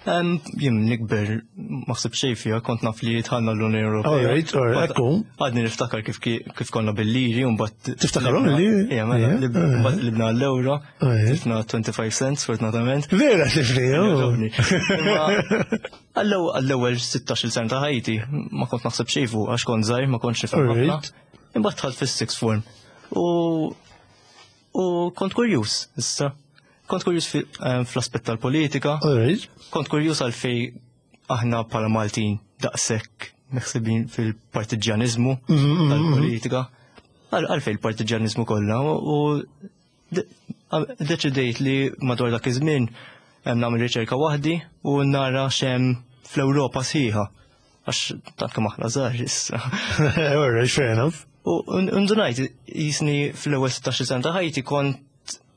Jien nikber ma ħsib xejn fiha, kont naf li dħalna l-Unjoni Ewropea. All right, all right, ekku. Għadni niftakar kif kif konna bil-liri u mbagħad. Tiftakarhom il-liri? Ija, mela, mbagħad libna l-euro, tlifna twenty-five cents fortunatament. Vera tlifni? Għall-ewwel sittax-il sena ta' ħajti ma kont naħseb xejn fuq għax kont żgħir, ma kontx nifhem ħafna. Imbagħad dħalt fis-sixth form. U u kont kurjuż issa. Kont kurjuż eh, fl-aspett tal-politika. Kont kurjuż għalfej aħna bħala Maltin daqshekk meħsibin fil-partiġjanizmu mhm, mhm, mhm. tal-politika. Għalfej il-partiġjanizmu kollha u Deċidejt li madwar dak iż-żmien nagħmel riċerka waħdi u nara x'hemm fl-Ewropa sħiħa. Għax tant kemm aħna żgħar issa. Alright, fair enough. U ndunajt jisni fl-ewwel sittax-il sena ta' ħajti kont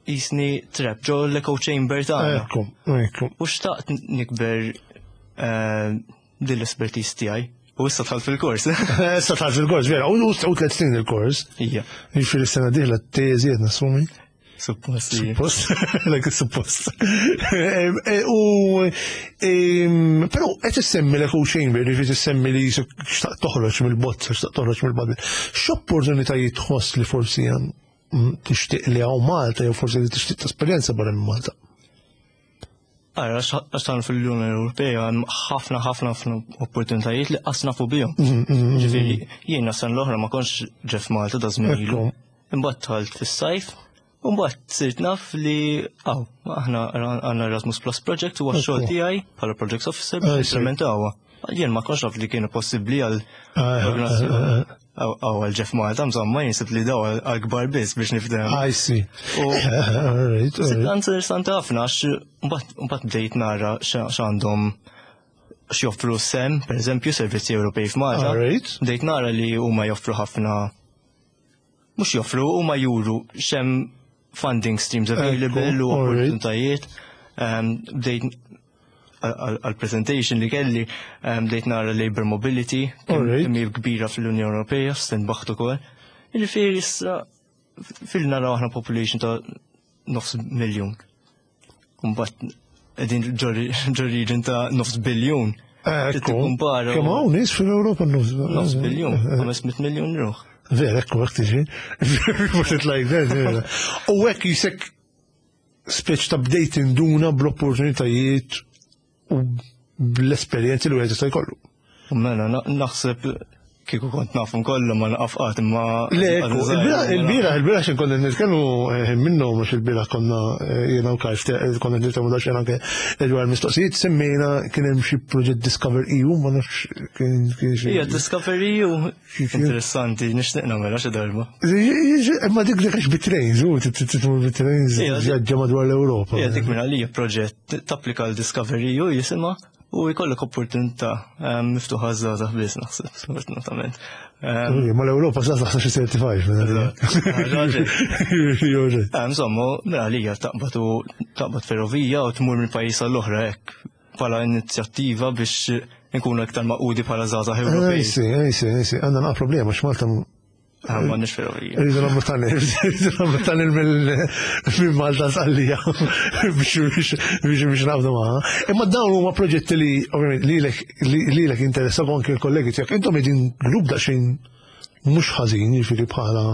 jisni trap ġo l-echo chamber tagħna. Ekku, ekku. U xtaqt nikber eh, din l-expertise tiegħi. U issa dħalt fil-kors. Issa dħalt fil-kors, vera, u u tliet snin il-kors. Ija. Jiġifieri s-sena dieħla teżi qed nassumi. Suppost. Suppost, like suppost. U, però qed issemmi l-echo chamber, jiġifieri tissemmi li xtaqt toħroġ mill-bozza, xtaqt toħroġ mill-bubble. X'opportunitajiet tħoss li forsi tixtieq li hawn Malta jew forsi li tixtieq esperjenza barra minn Malta? Ara, għax tan fil-Unjoni Ewropea hemm ħafna ħafna ħafna opportunitajiet li qas nafu bihom. Mm, mm, mm, Ġifieri, jiena sena l-oħra ma kontx JEF Malta da żmien ilu. Imbagħad dħalt fis-sajf, u mbagħad sirt naf li aw, aħna għandna Erasmus Plus Project u għax-xogħol tiegħi bħala Project Officer biex implementawha. Jien ma kontx naf li kienu possibbli għal ah, Għaw għal JEF Malta, insomma, jinsib li daw għal-kbar biss biex nifhem. I see. Interessanti ħafna, għax mbagħad bdejt nara x'għandhom x'joffru SEM, per eżempju, Servizzi Ewropej f'Malta. Bdejt nara li huma joffru ħafna mhux joffru, huma juru x'hemm funding streams available u opportunitajiet. Bdejt għal-presentation li kelli bdejt nara labor mobility, kemm hi kbira fl-Unjoni Ewropea, stenbaħt ukoll. Jiġifieri issa fil-naraw aħna population ta' nofs miljun. Mbagħad qegħdin ġo region ta' nofs biljun. Tikkumpara. Kemm hawn nies fil-Ewropa nofs nofs biljun, ħames mitt miljun ruħ. Vera, ekku, hekk tiġi. Put it like that, vera. U hekk jisek speċ ta' bdejt induna bl-opportunitajiet u bl-esperjenzi li wieħed jista' jkollu. Mela, naħseb kieku kont nafhom kollu ma naqafqat imma. Le, il-bieraħ, il-bieraħ xin konna nitkellmu eh, minnu mhux il-bieraħ konna eh, jiena u Kajf konna nitkellmu daqsxejn anke dwar mistoqsijiet, semmejna kien hemm xi proġett Discover E U, ma nafx kien kien xi. Ija, Discover E U interessanti, nixtieq nagħmilha xi darba. Imma dik dik għax bit-trains, u titmur bit-trains vjaġġa madwar l-Ewropa. Ija, dik minn għalija proġett tapplika l-Discover E U jisimha u jkollok opportunità ehm, miftuħa żgħażagħ biss naħseb, sfortunatament. Ehm, ma l-Ewropa żgħażagħ sa xi tlieta u ħamsin. Insomma, mela għalija taqbad u taqbad ferrovija u tmur minn pajjiż għall-oħra hekk bħala inizjattiva biex nkunu iktar magħqudi bħala żgħażagħ Ewropej. Ejsi, ejsi, ejsi, għandna naqa problema x'Malta M'għandniex ferrovija. Rridu nagħmlu tunnel, rridu nagħmlu tunnel minn Malta Sqallija biex biex biex naqbdu magħha. Imma dawn huma proġetti li ovvjament lilek lilek interessaw anke l-kollegi tiegħek. Intom qegħdin grupp daqsxejn mhux ħażin, jiġifieri bħala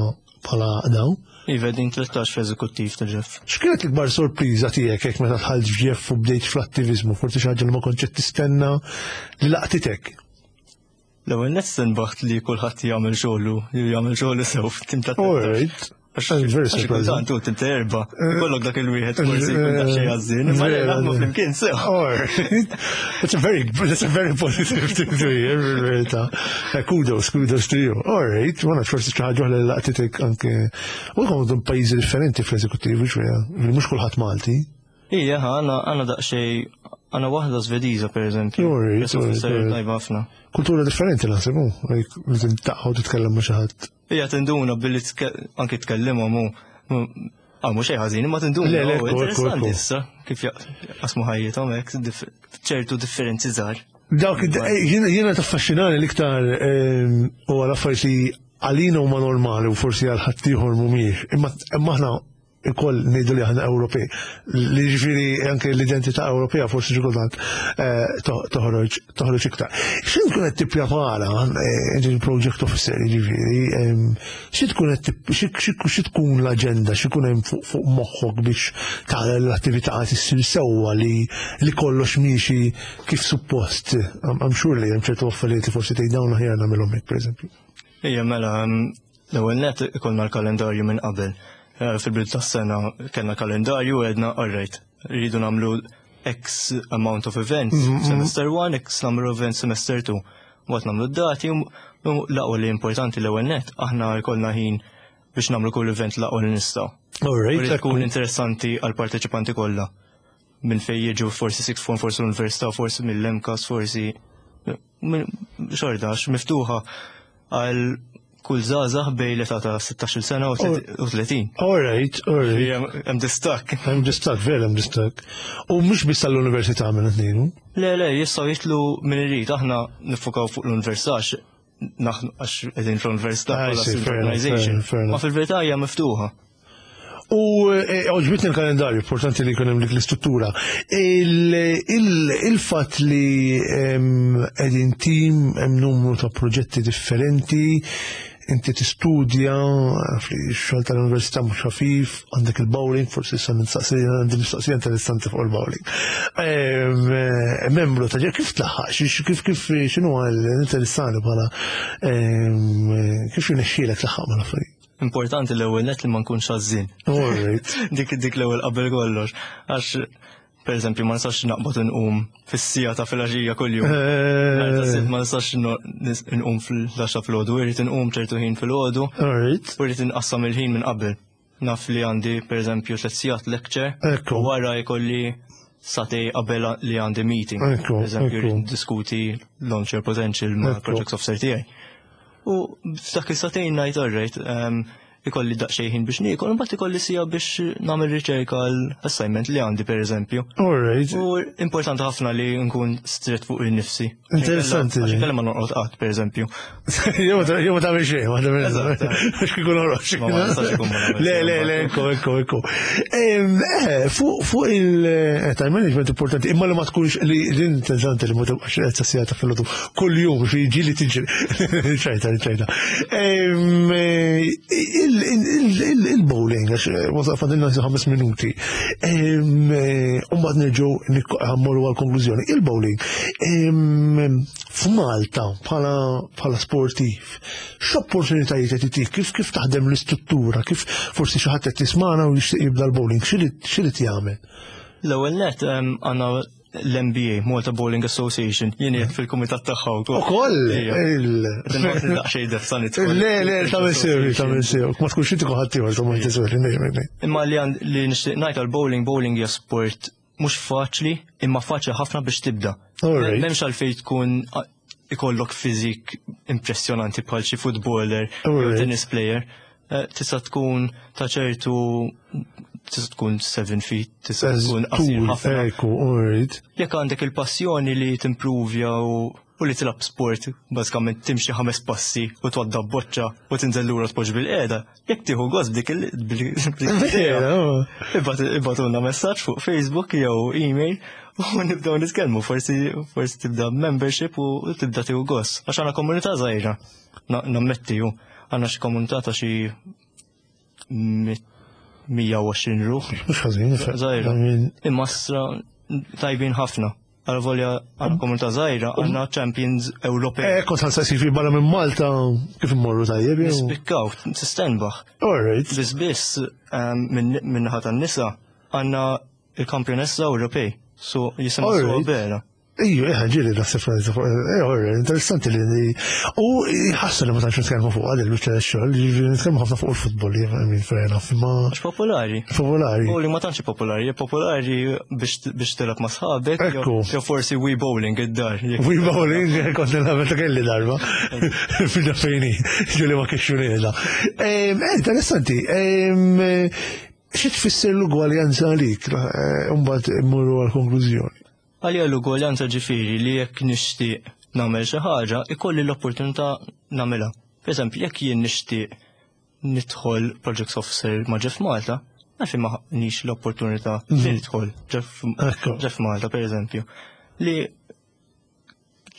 bħala dawn. Iva, din tlettax fl-eżekuttiv ta' JEF. X'kienet l-ikbar sorpriża tiegħek hekk meta dħalt f'JEF u bdejt fl-attivizmu? Forsi xi ħaġa li ma kontx qed tistenna li laqtitek? L-ewwel nett stenbaħt li kulħadd jagħmel xogħlu, jagħmel xogħlu sew f'tim ta' Alright. Very surprising. Kultant u tim ta' erba'. Kollok dak il-wieħed forsi jkun daqsxejn ħażin, imma naħdmu flimkien sew. Alright. That's a very that's a very positive thing to hear, fil-verità. Kudos, kudos to you. Alright, ma nafx forsi xi ħaġa oħra li laqtitek anke. U jkunu pajjiżi differenti fl-eżekuttiv, xwija, mhux kulħadd Malti. Ija, għandna għandna daqsxejn għandna waħda Svediża per eżempju. Alright, alright, Tajba ħafna. Kultura differenti naħseb, li tintaqgħu titkellem ma' xi ħadd. Ija, tinduna billi anke tkellimhom u għaw mhux xejn ħażin, imma tinduna. Le, le, Interessanti issa kif jaqsmu ħajjithom hekk ċertu differenzi żgħar. Dawk jiena taffaxxinani l-iktar u għal affarijiet li għalina huma normali u forsi għal ħaddieħor mhumiex. Imma aħna ikoll ngħidu li aħna Ewropej. Li ġifieri anke l-identità Ewropea forsi xi kultant toħroġ toħroġ iktar. Xi tkun qed tipprepara il-project officer jiġifieri, xi tkun qed xi tkun l-aġenda, xi jkun hemm fuq moħħok biex tara l-attività issir sewwa li li kollox miexi kif suppost. I'm sure li hemm ċertu affarijiet li forsi tgħid dawn aħjar nagħmilhom hekk pereżempju. Ija, mela, l-ewwel net ikollna l-kalendarju minn qabel. Fil-bidu tas-sena kellna kalendarju u għedna, alright, rridu nagħmlu X amount of events, semester one, X number of events semester two. Waqt nagħmlu d-dati, l-aqwa li importanti l-ewwel net, aħna jkollna ħin biex nagħmlu kull event l-aqwa li nistgħu. All right, U li tkun interessanti għal parteċipanti kollha. Minn fej jiġu forsi sixth form, forsi l-università, forsi mill-M C A S, forsi minn- xorta, għax miftuħa għal kull żgħażagħ bejn l-età ta' sittax-il sena u tletin. All right, all right. Hemm distakk. Hemm distakk, vera hemm distakk. U mhux biss tal-università minn qed. Le, le, jistgħu jitilgħu minn irid, aħna nifukaw fuq l-università għax naħnu għax qegħdin fl-università I bħala see, student fair enough, organization. fair enough. Ma fil-verità hija miftuħa. U eh, għoġbitni l-kalendarju, importanti li jkun hemm dik l-istruttura. Il- il- Il-fatt li em, qegħdin team, hemm numru ta' proġetti differenti, inti tistudja, xogħol tal-università mhux ħafif, għandek il-bowling, forsi issa nistaqsi, għandi mistoqsija interessanti fuq il-bowling. Em, eh, Membru ta' kif tlaħħaq, xi- kif kif x'inhu interessanti bħala em, kif jirnexxielek tlaħħaq mal-affarijiet? Importanti l-ewwel net li ma nkunx għażżien. All right. dik dik l-ewwel qabel kollox. Għax per eżempju ma nistax naqbad nqum fis-siegħa ta' filgħaxija kuljum. Nhar ta' Sibt ma nistax no- nis- nqum fl-għaxra filgħodu, irrid inqum ċertu ħin filgħodu All right. u rrid inqassam il-ħin minn qabel. Naf li għandi per eżempju tliet sigħat lecture Ekku. u wara jkolli sagħtejn qabel li għandi meeting. Ekku, Per eżempju, ekku. rrid diskuti launch your potential ma' Ekku. project officer tiegħi. U f'dak is-sagħtejn ngħid alright, um, ikolli daqsxejn ħin biex niekol, mbagħad ikolli siegħa biex nagħmel riċerka għal assignment li għandi per eżempju. All right. U importanti ħafna li nkun strict fuq il-nifsi. Interessanti. Għax inkella ma norqod qatt, per eżempju. Jew jew ma tagħmel xejn, ma tagħmel. Eżatt. Għax kieku norqod. Ma ma nistax ikun ma nagħmel Le, xejn, le, le, ekku, ekku, ekku. Em, eh, Fuq fuq il-time management importanti, imma li ma tkunx li l-interessanti li ma tibqax qed siegħa ta' filgħodu kull jum xi jiġi li tiġri. ċajta, ċajta. Em, eh, il- il- il- Il-bowling, għax wasaq fadilna ħames minuti. Em, eh, U mbagħad nerġgħu nikko- ħa mmorru għal-konklużjoni. Il-bowling, em, f'Malta bħala bħala sportiv, x'opportunitajiet qed itik, kif kif taħdem l-istruttura, kif forsi xi ħadd qed tismana u jixtieq jibda l-bowling, x'irid x'irid jagħmel? L-ewwel net em, għandna l-M B A, Malta Bowling Association, jien qiegħed fil-kumitat tagħha wkoll. Ukoll Ija. il- Daqsxejn defsa nidħol. Le, le, tagħmel sew, tagħmel sew. Ma tkunx inti ħadd ieħor, ma tiswer, Imma li għand li nixtieq ngħid għal-bowling, bowling hija sport mhux faċli, imma faċli ħafna biex tibda. All right. M'hemmx għalfejn tkun a- ikollok fiżik impressjonanti bħal xi footballer All jew right. tennis player. Eh, Tista' tkun ta' ċertu, tista' tkun seven feet, tista' tkun qasir ħafna. Ekku, all right. Jekk għandek il-passjoni li timprovja u u li tilab sport, bażikament timxi ħames passi u twadda boċċa u tinżel lura tpoġġi bil-qiegħda, jekk tieħu gost b'dik il b'dik l-idea, ibagħtulna messaġġ fuq Facebook jew email u nibdew nitkellmu, forsi forsi tibda membership u tibda tieħu gost. Għax għandna komunità żgħira, Na- nammetti ju, għandna xi komunità ta' xi mit- mija u għoxrin ruħ. Mhux ħażin, Żgħira. I mean, Imma stra tajbin ħafna. Għal volja għal komunità żgħira għandna champions Ewropej. Eh, kont ħa nsaqsi fi barra minn Malta kif immorru tajjeb jew? Nispikkaw, tistenbaħ. All right. Biss biss um, minn min-naħa tan-nisa għandna il-kampjonessa Ewropej. So jisimha All Su right. Bera. Iju, eh, ġieli naħseb eh, all right, interessanti li u ħassa li ma tantx nitkellmu fuq għadil biċċa xogħol, ġifieri nitkellmu ħafna fuq il-futbol, I mean, fair enough, imma Għax popolari. Popolari. Bowling ma tantx popolari, hija popolari biex biex tilgħab ma' sħabek, jew- Ekku. jew forsi Wii Bowling id-dar. Jekk- Wii bowling, kont nilgħab meta kelli darba. Fina fejni, ġuli ma kiexxunela. Eh, interessanti. Em, eh, Xi tfisser l-ugwaljanza għalik? Eh, Mbagħad immorru għal-konklużjoni. Għalija l-ugwaljanza ġifieri li jekk nixtieq nagħmel xi ħaġa, ikolli l-opportunità nagħmilha. Per eżempju, jekk jien nixtieq nidħol Project Officer ma' Jeff Malta, għalfejn ma nix l-opportunità li nidħol Jeff, Ekku. Jeff Malta, per eżempju. Li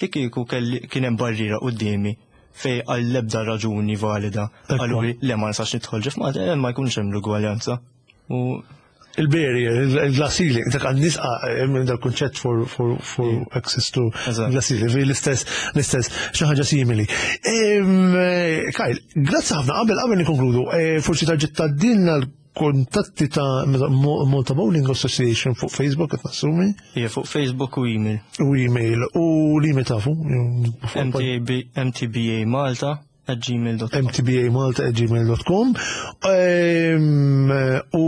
li kieku kelli kien hemm barriera quddiemi fej għall-ebda raġuni valida Ekku. għallu li le, ma nistax nidħol Jeff Malta, eh, ma jkunx hemm l-ugwaljanza. U Il-barrier, il-glass ceiling, dak għan nisqa minn dal-kunċett for, for, for access to Eżatt. glass ceiling, fi l-istess, l-istess, xi ħaġa simili. Em, eh, Kyle, grazzi ħafna, qabel qabel nikonkludu, eh, forsi tarġa' tgħaddilna l-kontatti ta' Mo- Malta Bowling Association fuq Facebook, qed nassumi, hija fuq Facebook u email. U email, u l-email tafu? M T B, M T B A Malta at gmail dot com. M T B A malta at gmail dot com. Ehm, U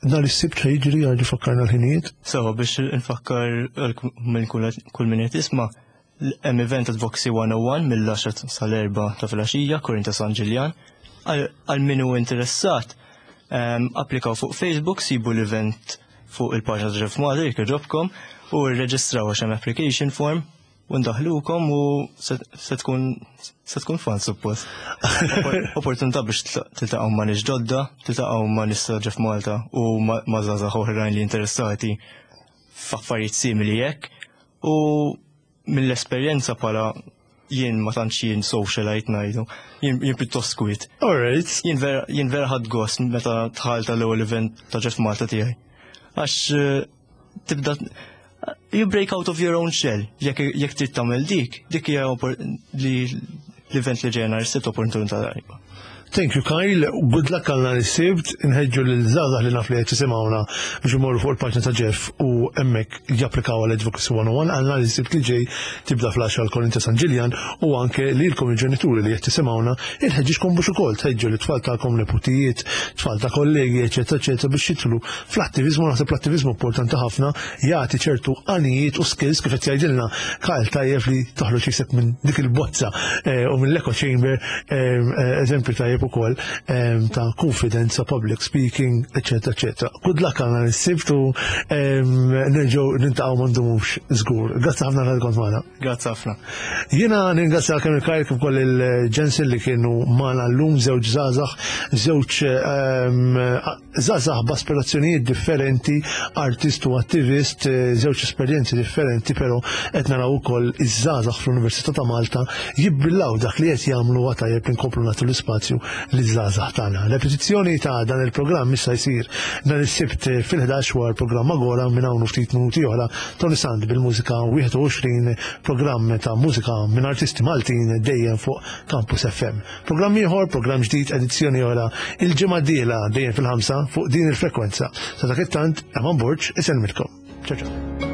nhar is-Sibt xa jiġri, għarġi fakkarna l-ħinijiet. So, biex nfakkar minn kull kull min qed jisma', hemm event Advocacy one oh one mill-għaxra sal-erbgħa ta' filgħaxija, Korin ta' San Ġiljan. Għal għal min hu interessat, em, applikaw fuq Facebook, sibu l-event fuq il-paġna ta' Jeff Malta, jekk jogħġobkom, u rreġistraw għax hemm application form u ndaħlukom u se se tkun se tkun fun suppost. Oppor- Opportunità biex tiltaqgħu ma' nies ġodda, tiltaqgħu ma' nies ta' Jeff Malta u ma' ma' żgħażagħ oħrajn li interessati f'affarijiet simili hekk, u mill-esperjenza bħala jien ma tantx jien socialite ngħidu, jien jien pjuttost kwiet. Alright. Jien vera jien vera ħadt gost meta dħalt tal-ewwel event ta' Jeff Malta tiegħi. Għax eh, tibda you break out of your own shell. Jekk jekk trid tagħmel dik, dik hija oppor- li l-event li ġejna r-sibt opportunità tajba. Thank you, Kyle. Good luck għal nhar is-Sibt. Inħeġġu l-żgħażagħ li naf li qed jisimgħuna biex imorru fuq il-paġna ta' Jeff u hemmhekk japplikaw għal Advocacy one oh one għal nhar is-Sibt li ġej, tibda fl-għaxra l-Korin ta' San Ġiljan, u anke lilkom il-ġenituri li qed tisimgħuna inħeġġiġkom biex ukoll tħeġġu l-tfal tagħkom, neputijiet, tfal ta' kollegi, eċetera, eċetera, biex jidħlu fl-attivizmu. Naħseb l-attivizmu importanti ħafna, jagħti ċertu għanijiet u skills kif qed jgħidilna Kyle, tajjeb li toħroġ jisek minn dik il-bozza eh, u minn l-echo chamber, eh, eh, eżempju tajjeb ukoll eh, ta' konfidenza, public speaking, eċetera, eċetera. Good luck għal nhar is-Sibt u nerġgħu niltaqgħu ma ndumux żgur. Grazzi ħafna li kont magħna. Grazzi ħafna. Jiena ningrazzja kemm il-Kyle kif ukoll il-Jensen li kienu magħna llum, żewġ żgħażagħ, żewġ ehm, żgħażagħ b'aspirazzjonijiet differenti, artist u attivist, eh, żewġ esperjenzi differenti, però qed naraw ukoll iż-żgħażagħ fl-Università ta' Malta jibbillaw dak li qed jagħmlu, huwa tajjeb li nkomplu nagħtu l-ispazju liż-żgħażagħ tagħna. Repetizzjoni ta' dan il-programm issa jsir nhar is-Sibt fil-ħdax wara l-programm Agora. Minn hawn ftit minuti oħra Tony Sand bil-mużika wieħed u għoxrin, programm ta' mużika minn artisti Maltin dejjem fuq Campus F M. Programm ieħor, programm ġdid, edizzjoni oħra il-ġimgħa d-dieħla dejjem fil-ħamsa fuq din il-frekwenza. Sa dak it-tant, Eman Borg isellmilkom. Ciao ciao.